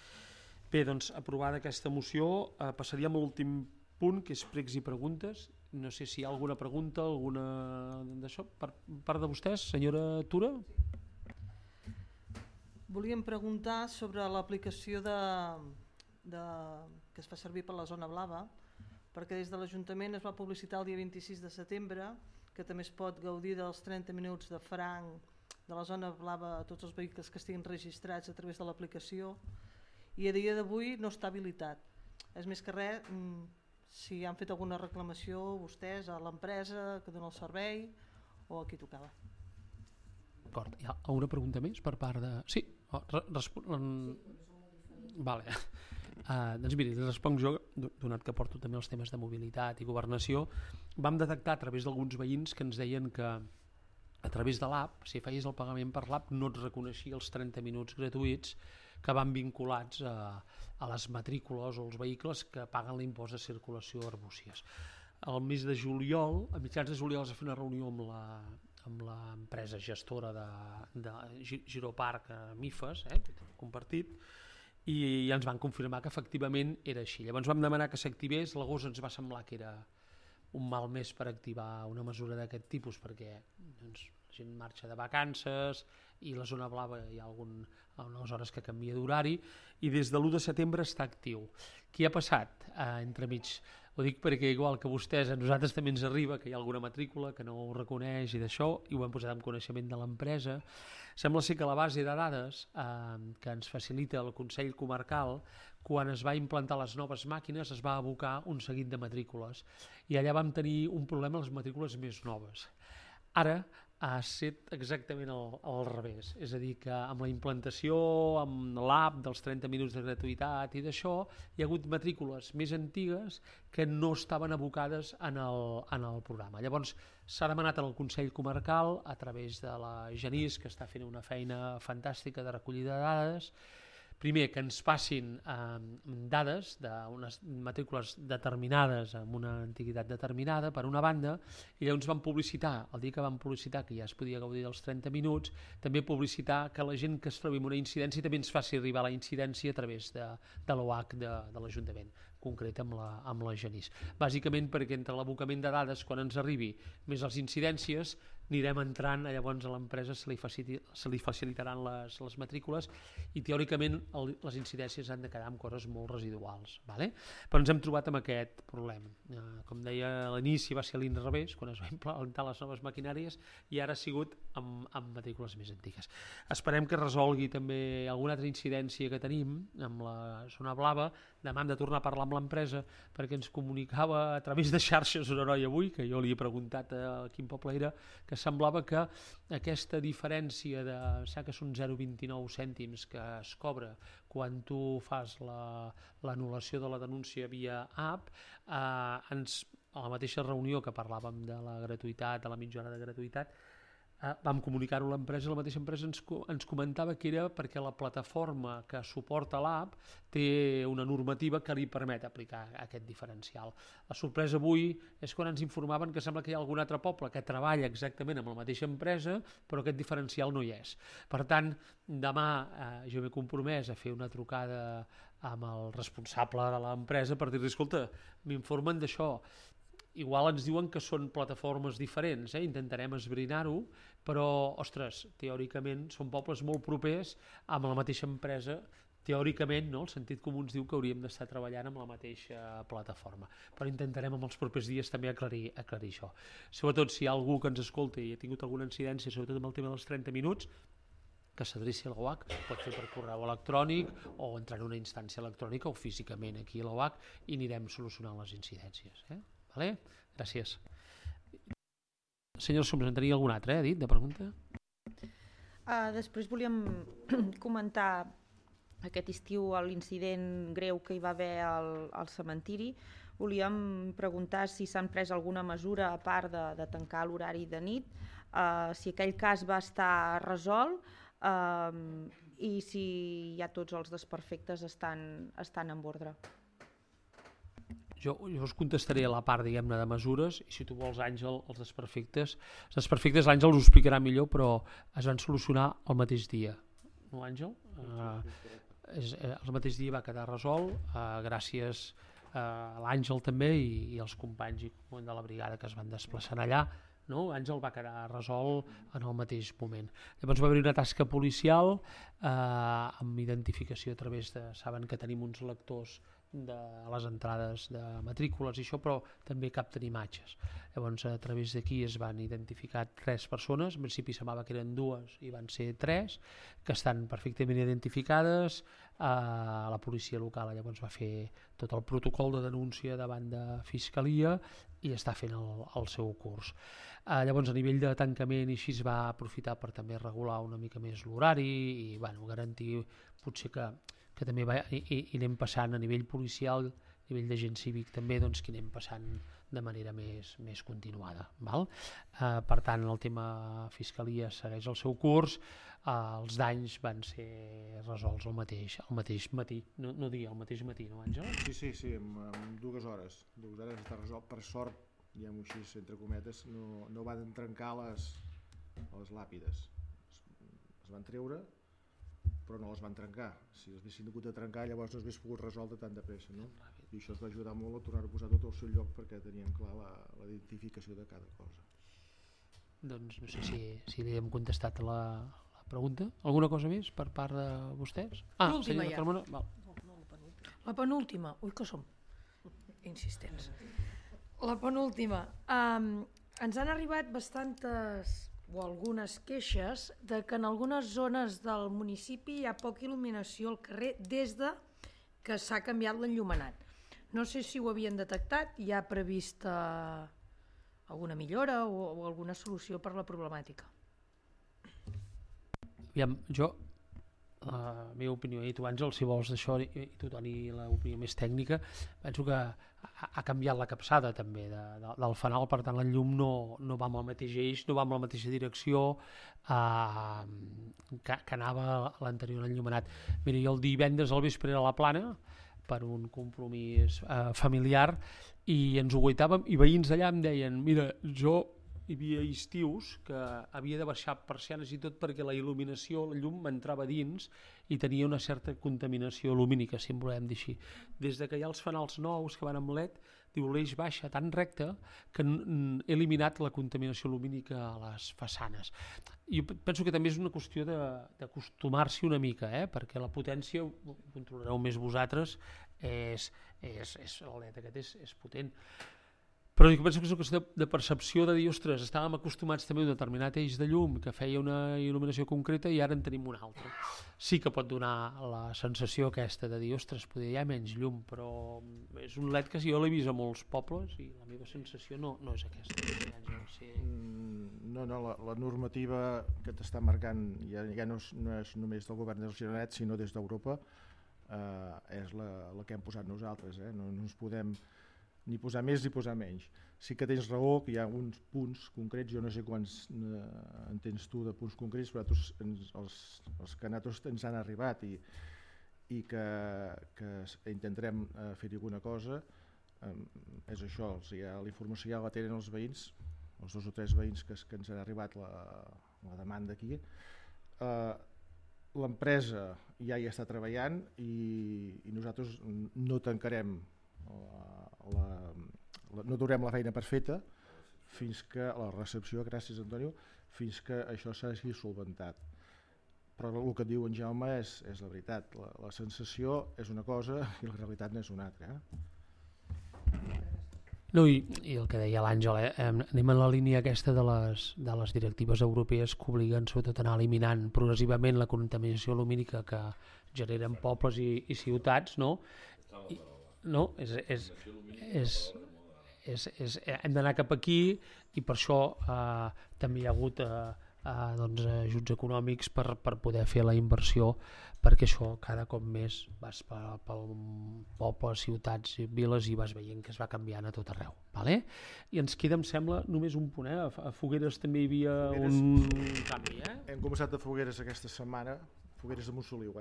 Bé, doncs, aprovada aquesta moció, passaríem a l'últim punt, que és pregs i preguntes. No sé si hi ha alguna pregunta, alguna d'això, per part de vostès, senyora Tura? Volíem preguntar sobre l'aplicació que es fa servir per la zona blava, perquè des de l'Ajuntament es va publicitar el dia 26 de setembre que també es pot gaudir dels 30 minuts de franc de la zona blava a tots els vehicles que estiguin registrats a través de l'aplicació, i a dia d'avui no està habilitat. És més que res, si han fet alguna reclamació vostès a l'empresa que dona el servei o a qui tocava. D'acord, hi ha una pregunta més per part de... Sí, vale. Doncs miri, responc jo, donat que porto també els temes de mobilitat i governació. Vam detectar a través d'alguns veïns que ens deien que a través de l'app, si feies el pagament per l'app, no et reconeixia els 30 minuts gratuïts que van vinculats a les matrícules o els vehicles que paguen l'impost de circulació a Arbúcies. Al mes de juliol, a mitjans de juliol, es va fer una reunió amb l'empresa gestora de Giroparc Mifes, compartit, i ens van confirmar que efectivament era així. Llavors vam demanar que s'activés. L'agost ens va semblar que era un mal mes per activar una mesura d'aquest tipus, perquè la gent marxa de vacances i la zona blava hi ha algunes hores que canvia d'horari, i des de l'1 de setembre està actiu. Què ha passat entremig? Ho dic perquè igual que vostès, a nosaltres també ens arriba que hi ha alguna matrícula que no ho reconeix i d'això, i ho hem posat en coneixement de l'empresa. Sembla ser que la base de dades que ens facilita el Consell Comarcal, quan es va implantar les noves màquines es va abocar un seguit de matrícules i allà vam tenir un problema a les matrícules més noves. Ara ha estat exactament al revés. És a dir, que amb la implantació, amb l'app dels 30 minuts de gratuïtat i d'això, hi ha hagut matrícules més antigues que no estaven abocades en el programa. Llavors, s'ha demanat al Consell Comarcal, a través de la Genís, que està fent una feina fantàstica de recollida de dades, primer, que ens passin dades d'unes matrícules determinades amb una antiguitat determinada, per una banda, i llavors van publicitar, el dia que van publicitar que ja es podia gaudir dels 30 minuts, també publicitar que la gent que es trobi en una incidència també ens faci arribar la incidència a través de l'OH de l'Ajuntament, concret amb la Genís. Bàsicament perquè entre l'abocament de dades, quan ens arribi, més les incidències, anirem entrant, llavors a l'empresa se li facilitaran les matrícules i teòricament les incidències han de quedar amb coses molt residuals. Vale? Però ens hem trobat amb aquest problema. Com deia, a l'inici va ser a l'inrevés, quan es va implantar les noves maquinàries, i ara ha sigut amb matrícules més antigues. Esperem que resolgui també alguna altra incidència que tenim amb la zona blava. Demà hem de tornar a parlar amb l'empresa perquè ens comunicava a través de xarxes una noia avui, que jo li he preguntat a quin poble era, que semblava que aquesta diferència de, que són 0,29 cèntims que es cobra quan tu fas l'anul·lació de la denúncia via app, a la mateixa reunió que parlàvem de la gratuïtat, de la mitja hora de gratuïtat, vam comunicar-ho a l'empresa, la mateixa empresa ens comentava que era perquè la plataforma que suporta l'app té una normativa que li permet aplicar aquest diferencial. La sorpresa avui és quan ens informaven que sembla que hi ha algun altre poble que treballa exactament amb la mateixa empresa, però aquest diferencial no hi és. Per tant, demà jo m'he compromès a fer una trucada amb el responsable de l'empresa per dir-li, escolta, m'informen d'això. Igual ens diuen que són plataformes diferents, intentarem esbrinar-ho, però, ostres, teòricament són pobles molt propers amb la mateixa empresa. Teòricament, no? El sentit comú ens diu que hauríem d'estar treballant amb la mateixa plataforma, però intentarem en els propers dies també aclarir això. Sobretot si hi ha algú que ens escolti i ha tingut alguna incidència, sobretot amb el tema dels 30 minuts, que s'adreci a l'OH, pot fer per correu electrònic o entrar en una instància electrònica o físicament aquí a l'OH i anirem solucionant les incidències. Vale? Gràcies. Senyor Soms, en tenia algun altre, dit, de pregunta? Després volíem comentar aquest estiu l'incident greu que hi va haver al cementiri. Volíem preguntar si s'han pres alguna mesura a part de tancar l'horari de nit, si aquell cas va estar resolt i si ja tots els desperfectes estan en ordre. Jo us contestaré a la part, diguem-ne, de mesures, i si tu vols, Àngel, els desperfectes l'Àngel us ho explicarà millor, però es van solucionar el mateix dia. No, Àngel? El mateix dia va quedar resolt, gràcies a l'Àngel també i als companys de la brigada que es van desplaçar allà. No? Àngel va quedar resolt en el mateix moment. Llavors va haver una tasca policial amb identificació a través de... Saben que tenim uns lectors de les entrades de matrícules i això, però també capten imatges. Llavors a través d'aquí es van identificar 3 persones, en principi semblava que eren 2 i van ser 3, que estan perfectament identificades. La policia local llavors va fer tot el protocol de denúncia davant de Fiscalia i està fent el seu curs. Llavors a nivell de tancament i així es va aprofitar per també regular una mica més l'horari i garantir potser que també i anem passant a nivell policial, a nivell d'agent cívic també, doncs que anem passant de manera més continuada. Val? Per tant, el tema Fiscalia segueix el seu curs, els danys van ser resolts el mateix matí, no dia, el mateix matí, no, Àngel? Sí, en 2 hores. 2 hores està resolt, per sort, diguem-ho així, entre cometes, no van trencar les làpides. Es van treure, però no les van trencar. Si els haguessin hagut de trencar, llavors no s'hagués pogut resoldre tan de pressa, no? I això es va ajudar molt a tornar a posar tot al seu lloc perquè tenien clar la identificació de cada cosa. Doncs no sé si li hem contestat a la pregunta. Alguna cosa més per part de vostès? L'última ja. La penúltima. Ui, que som insistents. La penúltima. Ens han arribat bastantes o algunes queixes de que en algunes zones del municipi hi ha poca il·luminació al carrer des de que s'ha canviat l'enllumenat. No sé si ho havien detectat, hi ha prevista alguna millora o alguna solució per la problemàtica. Aviam, jo, la meva opinió, i tu Àngel, si vols d'això, i tu Toni, l'opinió més tècnica, penso que ha canviat la capçada també del fanal, per tant el llum no va amb el mateix eix, no va amb la mateixa direcció que anava l'anterior enllumenat. Mira, jo el divendres al vespre era a la Plana per un compromís familiar i ens ho guaitàvem i veïns d'allà em deien, mira, hi havia estius que havia de baixar persianes i tot perquè la il·luminació, la llum m'entrava dins i tenia una certa contaminació lumínica, si en volem dir així. Des que hi ha els fanals nous que van amb LED, diu l'eix baixa tan recte que he eliminat la contaminació lumínica a les façanes. Jo penso que també és una qüestió d'acostumar-s'hi una mica, perquè la potència, ho controlareu més vosaltres, el LED aquest és potent. Però jo penso que és una qüestió de percepció de dir, ostres, estàvem acostumats també a un determinat eix de llum que feia una il·luminació concreta i ara en tenim una altra. Sí que pot donar la sensació aquesta de dir, ostres, potser hi ha menys llum, però és un LED que jo l'he vist a molts pobles i la meva sensació no és aquesta. Sí. No, la normativa que t'està marcant ja no és només del govern del Gironet, sinó des d'Europa, és la que hem posat nosaltres. No ens podem ni posar més ni posar menys. Sí que tens raó que hi ha uns punts concrets, jo no sé quants en tens tu de punts concrets, però els que a nosaltres ens han arribat i que intentarem fer-hi alguna cosa, és això, la informació ja la tenen els veïns, els 2 o 3 veïns que ens ha arribat la demanda aquí. L'empresa ja hi està treballant i nosaltres no tancarem no durem la feina per feta fins que la recepció, gràcies Antonio, fins que això s'hagi solventat. Però el que diu en Jaume és la veritat, la sensació és una cosa i la realitat n'és una altra. No, i el que deia l'Àngel, anem en la línia aquesta de les directives europees que obliguen sobretot a anar eliminant progressivament la contaminació lumínica que generen pobles i ciutats, no? No, hem d'anar cap aquí i per això també hi ha hagut ajuts econòmics per poder fer la inversió, perquè això cada cop més vas pel poble, ciutats, viles i vas veient que es va canviant a tot arreu. I ens queda, em sembla, només un punt. A Fogueres també hi havia un canvi. Hem començat a Fogueres aquesta setmana, Fogueres de Montsoliu,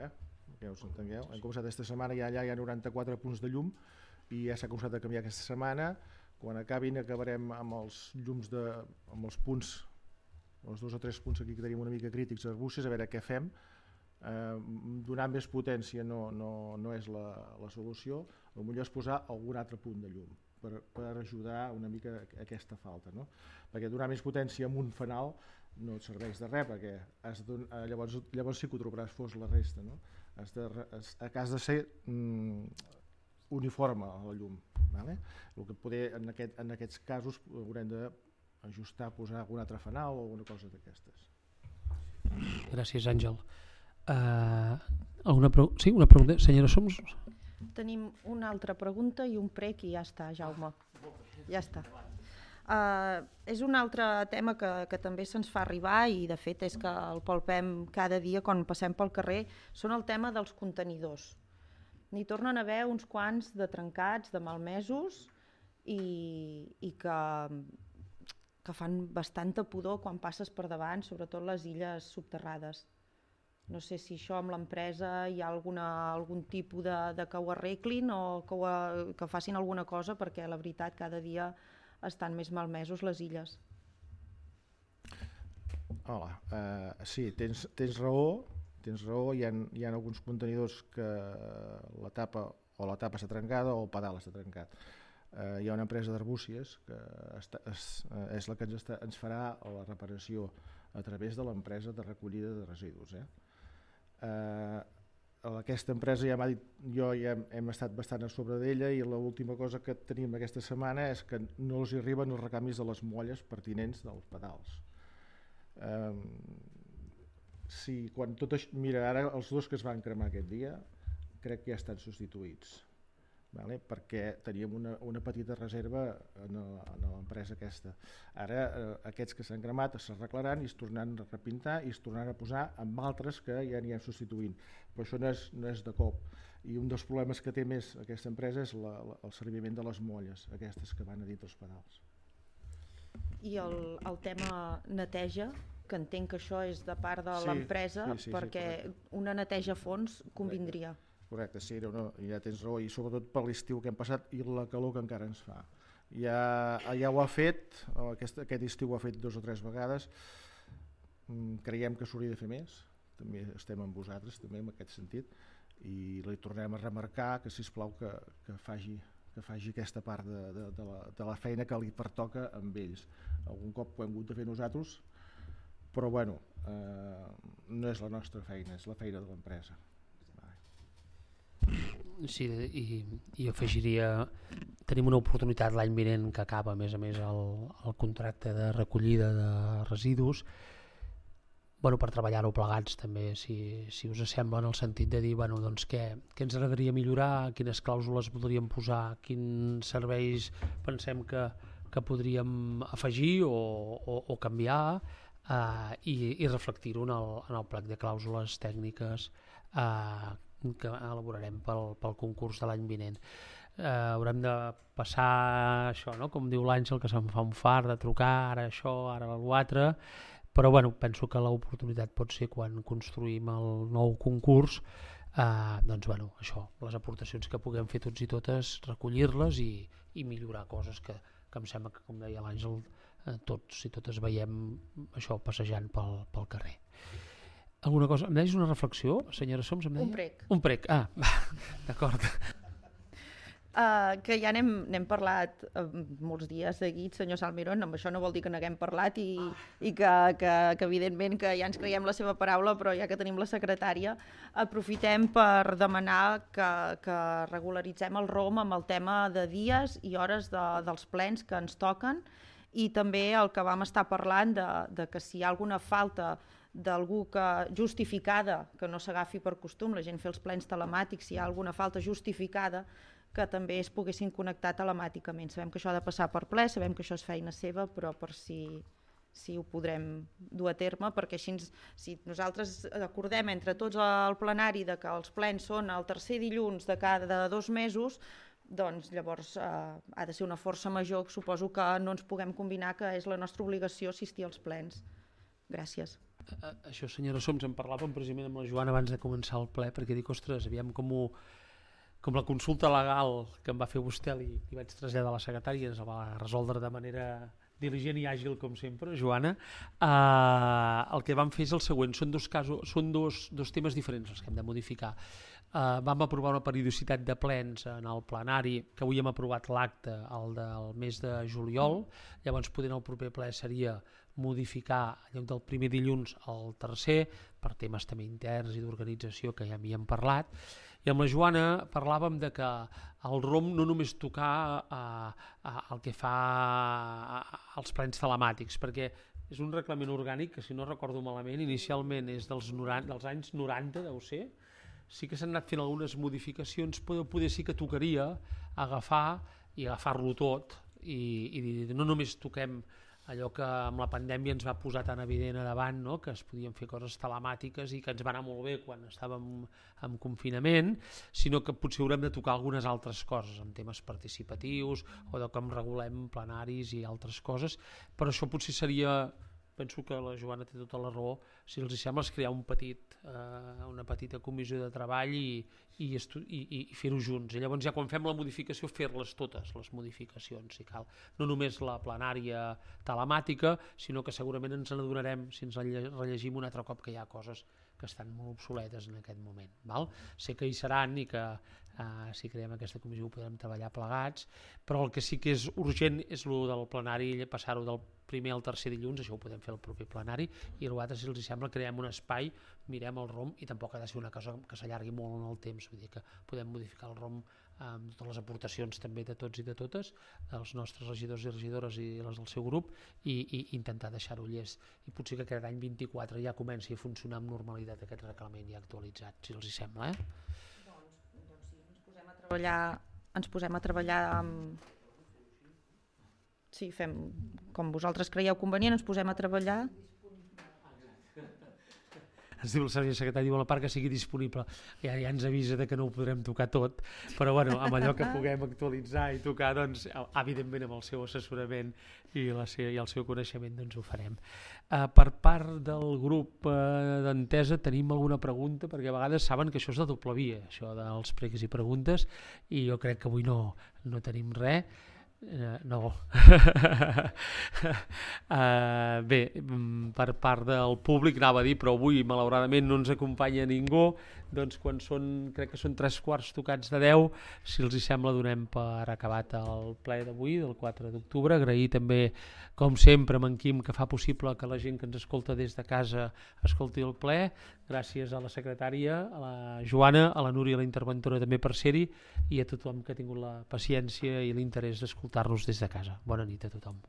que us entengueu. Hem començat aquesta setmana, allà hi ha 94 punts de llum i ja s'ha començat a canviar aquesta setmana. Quan acabarem amb els llums amb els punts, els 2 o 3 punts aquí que tenim una mica crítics a Arbúcies, a veure què fem. Donar més potència no és la solució, potser és posar algun altre punt de llum per ajudar una mica a aquesta falta, no? Perquè donar més potència amb un fanal no et serveix de res, perquè llavors sí que ho trobaràs fos la resta, no? Has de ser uniforme a la llum. El que poder en aquests casos haurem d'ajustar, posar algun altre fanal o alguna cosa d'aquestes. Gràcies, Àngel. Una pregunta? Senyora Soms? Tenim una altra pregunta i un prec i ja està, Jaume. Ja està. És un altre tema que també se'ns fa arribar i de fet és que el palpem cada dia quan passem pel carrer, són el tema dels contenidors. N'hi tornen a haver uns quants de trencats, de malmesos i que fan bastanta pudor quan passes per davant, sobretot les illes subterrades. No sé si això amb l'empresa hi ha algun tipus de que ho arreglin o que facin alguna cosa, perquè la veritat cada dia estan més malmesos les illes. Hola, sí, tens raó, hi ha alguns contenidors que la tapa està trencada o el pedal està trencat. Hi ha una empresa d'Arbúcies que és la que ens farà la reparació a través de l'empresa de recollida de residus. Aquesta empresa ja m'ha dit, jo ja hem estat bastant a sobre d'ella i l'última cosa que tenim aquesta setmana és que no els arriben els recanvis de les molles pertinents dels pedals. Mira, ara els 2 que es van cremar aquest dia crec que ja estan substituïts. vale? Perquè teníem una petita reserva en l'empresa aquesta. Ara aquests que s'han cremat s'arreglaran i es tornaran a repintar i es tornaran a posar amb altres que ja anirem substituint, però això no és de cop. I un dels problemes que té més aquesta empresa és el serviment de les molles, aquestes que van a dintre els pedals. I el tema neteja, que entenc que això és de part de l'empresa, perquè una neteja a fons convindria. Correcte, sí, ja tens raó, i sobretot per l'estiu que hem passat i la calor que encara ens fa. Ja ho ha fet, aquest estiu ho ha fet 2 o 3 vegades, creiem que s'hauria de fer més, també estem amb vosaltres també en aquest sentit, i li tornem a remarcar que sisplau que faci aquesta part de la feina que li pertoca amb ells. Algun cop ho hem hagut de fer nosaltres, però bueno, no és la nostra feina, és la feina de l'empresa. Sí, i afegiria, tenim una oportunitat l'any vinent que acaba a més el contracte de recollida de residus, per treballar-ho plegats també, si us sembla, en el sentit de dir doncs, què ens agradaria millorar, quines clàusules podríem posar, quins serveis pensem que podríem afegir o canviar, i reflectir-ho en el plec de clàusules tècniques que elaborarem pel concurs de l'any vinent. Haurem de passar això, no? Com diu l'Àngel, que se'n fa un fart de trucar, ara això, ara l'altre, però penso que l'oportunitat pot ser quan construïm el nou concurs, això, les aportacions que puguem fer tots i totes, recollir-les i millorar coses que em sembla que, com deia l'Àngel, tots i totes veiem això passejant pel carrer. Alguna cosa? Em deies una reflexió, senyora Soms? Un prec. Un prec, d'acord. Que ja n'hem parlat molts dies seguits, senyor Salmirón, amb això no vol dir que n'haguem parlat i que evidentment que ja ens creiem la seva paraula, però ja que tenim la secretària, aprofitem per demanar que regularitzem el ROM amb el tema de dies i hores dels plens que ens toquen, i també el que vam estar parlant de que si hi ha alguna falta d'algú justificada, que no s'agafi per costum la gent fer els plens telemàtics, si hi ha alguna falta justificada, que també es poguessin connectar telemàticament. Sabem que això ha de passar per ple, sabem que això és feina seva, però per si ho podrem dur a terme, perquè així si nosaltres acordem entre tots al plenari de que els plens són el tercer dilluns de cada 2 mesos, doncs llavors ha de ser una força major, suposo que no ens puguem combinar, que és la nostra obligació assistir als plens. Gràcies. Això, senyora Soms, en parlàvem precisament amb la Joana abans de començar el ple, perquè dic, ostres, aviam com la consulta legal que em va fer vostè li vaig traslladar a la secretària, ens la va resoldre de manera diligent i àgil, com sempre, Joana. El que vam fer és el següent, són dos temes diferents els que hem de modificar. Vam aprovar una periodicitat de plens en el plenari, que avui hem aprovat l'acte, el del mes de juliol, llavors podent el proper ple seria modificar en lloc del primer dilluns al tercer, per temes també interns i d'organització que ja havíem parlat, i amb la Joana parlàvem de que el ROM no només tocar el que fa els plens telemàtics, perquè és un reglament orgànic que, si no recordo malament, inicialment és dels anys 90, deu ser. Sí que s'han anat fent algunes modificacions, però poder sí que tocaria agafar-lo tot i dir, no només toquem allò que amb la pandèmia ens va posar tan evident a davant, no? Que es podien fer coses telemàtiques i que ens va anar molt bé quan estàvem en confinament, sinó que potser haurem de tocar algunes altres coses, en temes participatius o de com regulem plenaris i altres coses, però això potser seria, penso que la Joana té tota la raó, si els sembla, és crear una petita comissió de treball i fer-ho junts. I llavors ja quan fem la modificació, fer-les totes, les modificacions, si cal. No només la plenària telemàtica, sinó que segurament ens n'adonarem, si ens rellegim un altre cop, que hi ha coses que estan molt obsoletes en aquest moment. Sé que hi seran i que si creem aquesta comissió ho podrem treballar plegats, però el que sí que és urgent és el del plenari, passar-ho del primer al tercer dilluns, això ho podem fer al proper plenari, i l'altre, si els sembla, creem un espai, mirem el ROM, i tampoc ha de ser una cosa que s'allargui molt en el temps, vull dir que podem modificar el ROM amb totes les aportacions també de tots i de totes, dels nostres regidors i regidores i les del seu grup, i intentar deixar-ho llest. I potser que aquest any 24 ja comenci a funcionar amb normalitat aquest reglament ja actualitzat, si els sembla. Doncs sí, ens posem a treballar ens posem a treballar amb... Sí, fem com vosaltres creieu convenient, ens posem a treballar. Ens diu el servei secretari, diu a la part que sigui disponible. Ja ens avisa que no ho podrem tocar tot, però bueno, amb allò que puguem actualitzar i tocar, doncs, evidentment amb el seu assessorament i el seu coneixement, doncs ho farem. Per part del grup d'Entesa tenim alguna pregunta, perquè a vegades saben que això és de doble via, això dels pregs i preguntes, i jo crec que avui no tenim res. No. Bé, per part del públic anava a dir, però avui malauradament no ens acompanya ningú, doncs quan crec que són 3/4 tocats de 10, si els hi sembla donem per acabat el ple d'avui, del 4 d'octubre. Agrair també, com sempre, a en Quim, que fa possible que la gent que ens escolta des de casa escolti el ple. Gràcies a la secretària, a la Joana, a la Núria, la interventora també per ser-hi, i a tothom que ha tingut la paciència i l'interès d'escoltar-nos des de casa. Bona nit a tothom.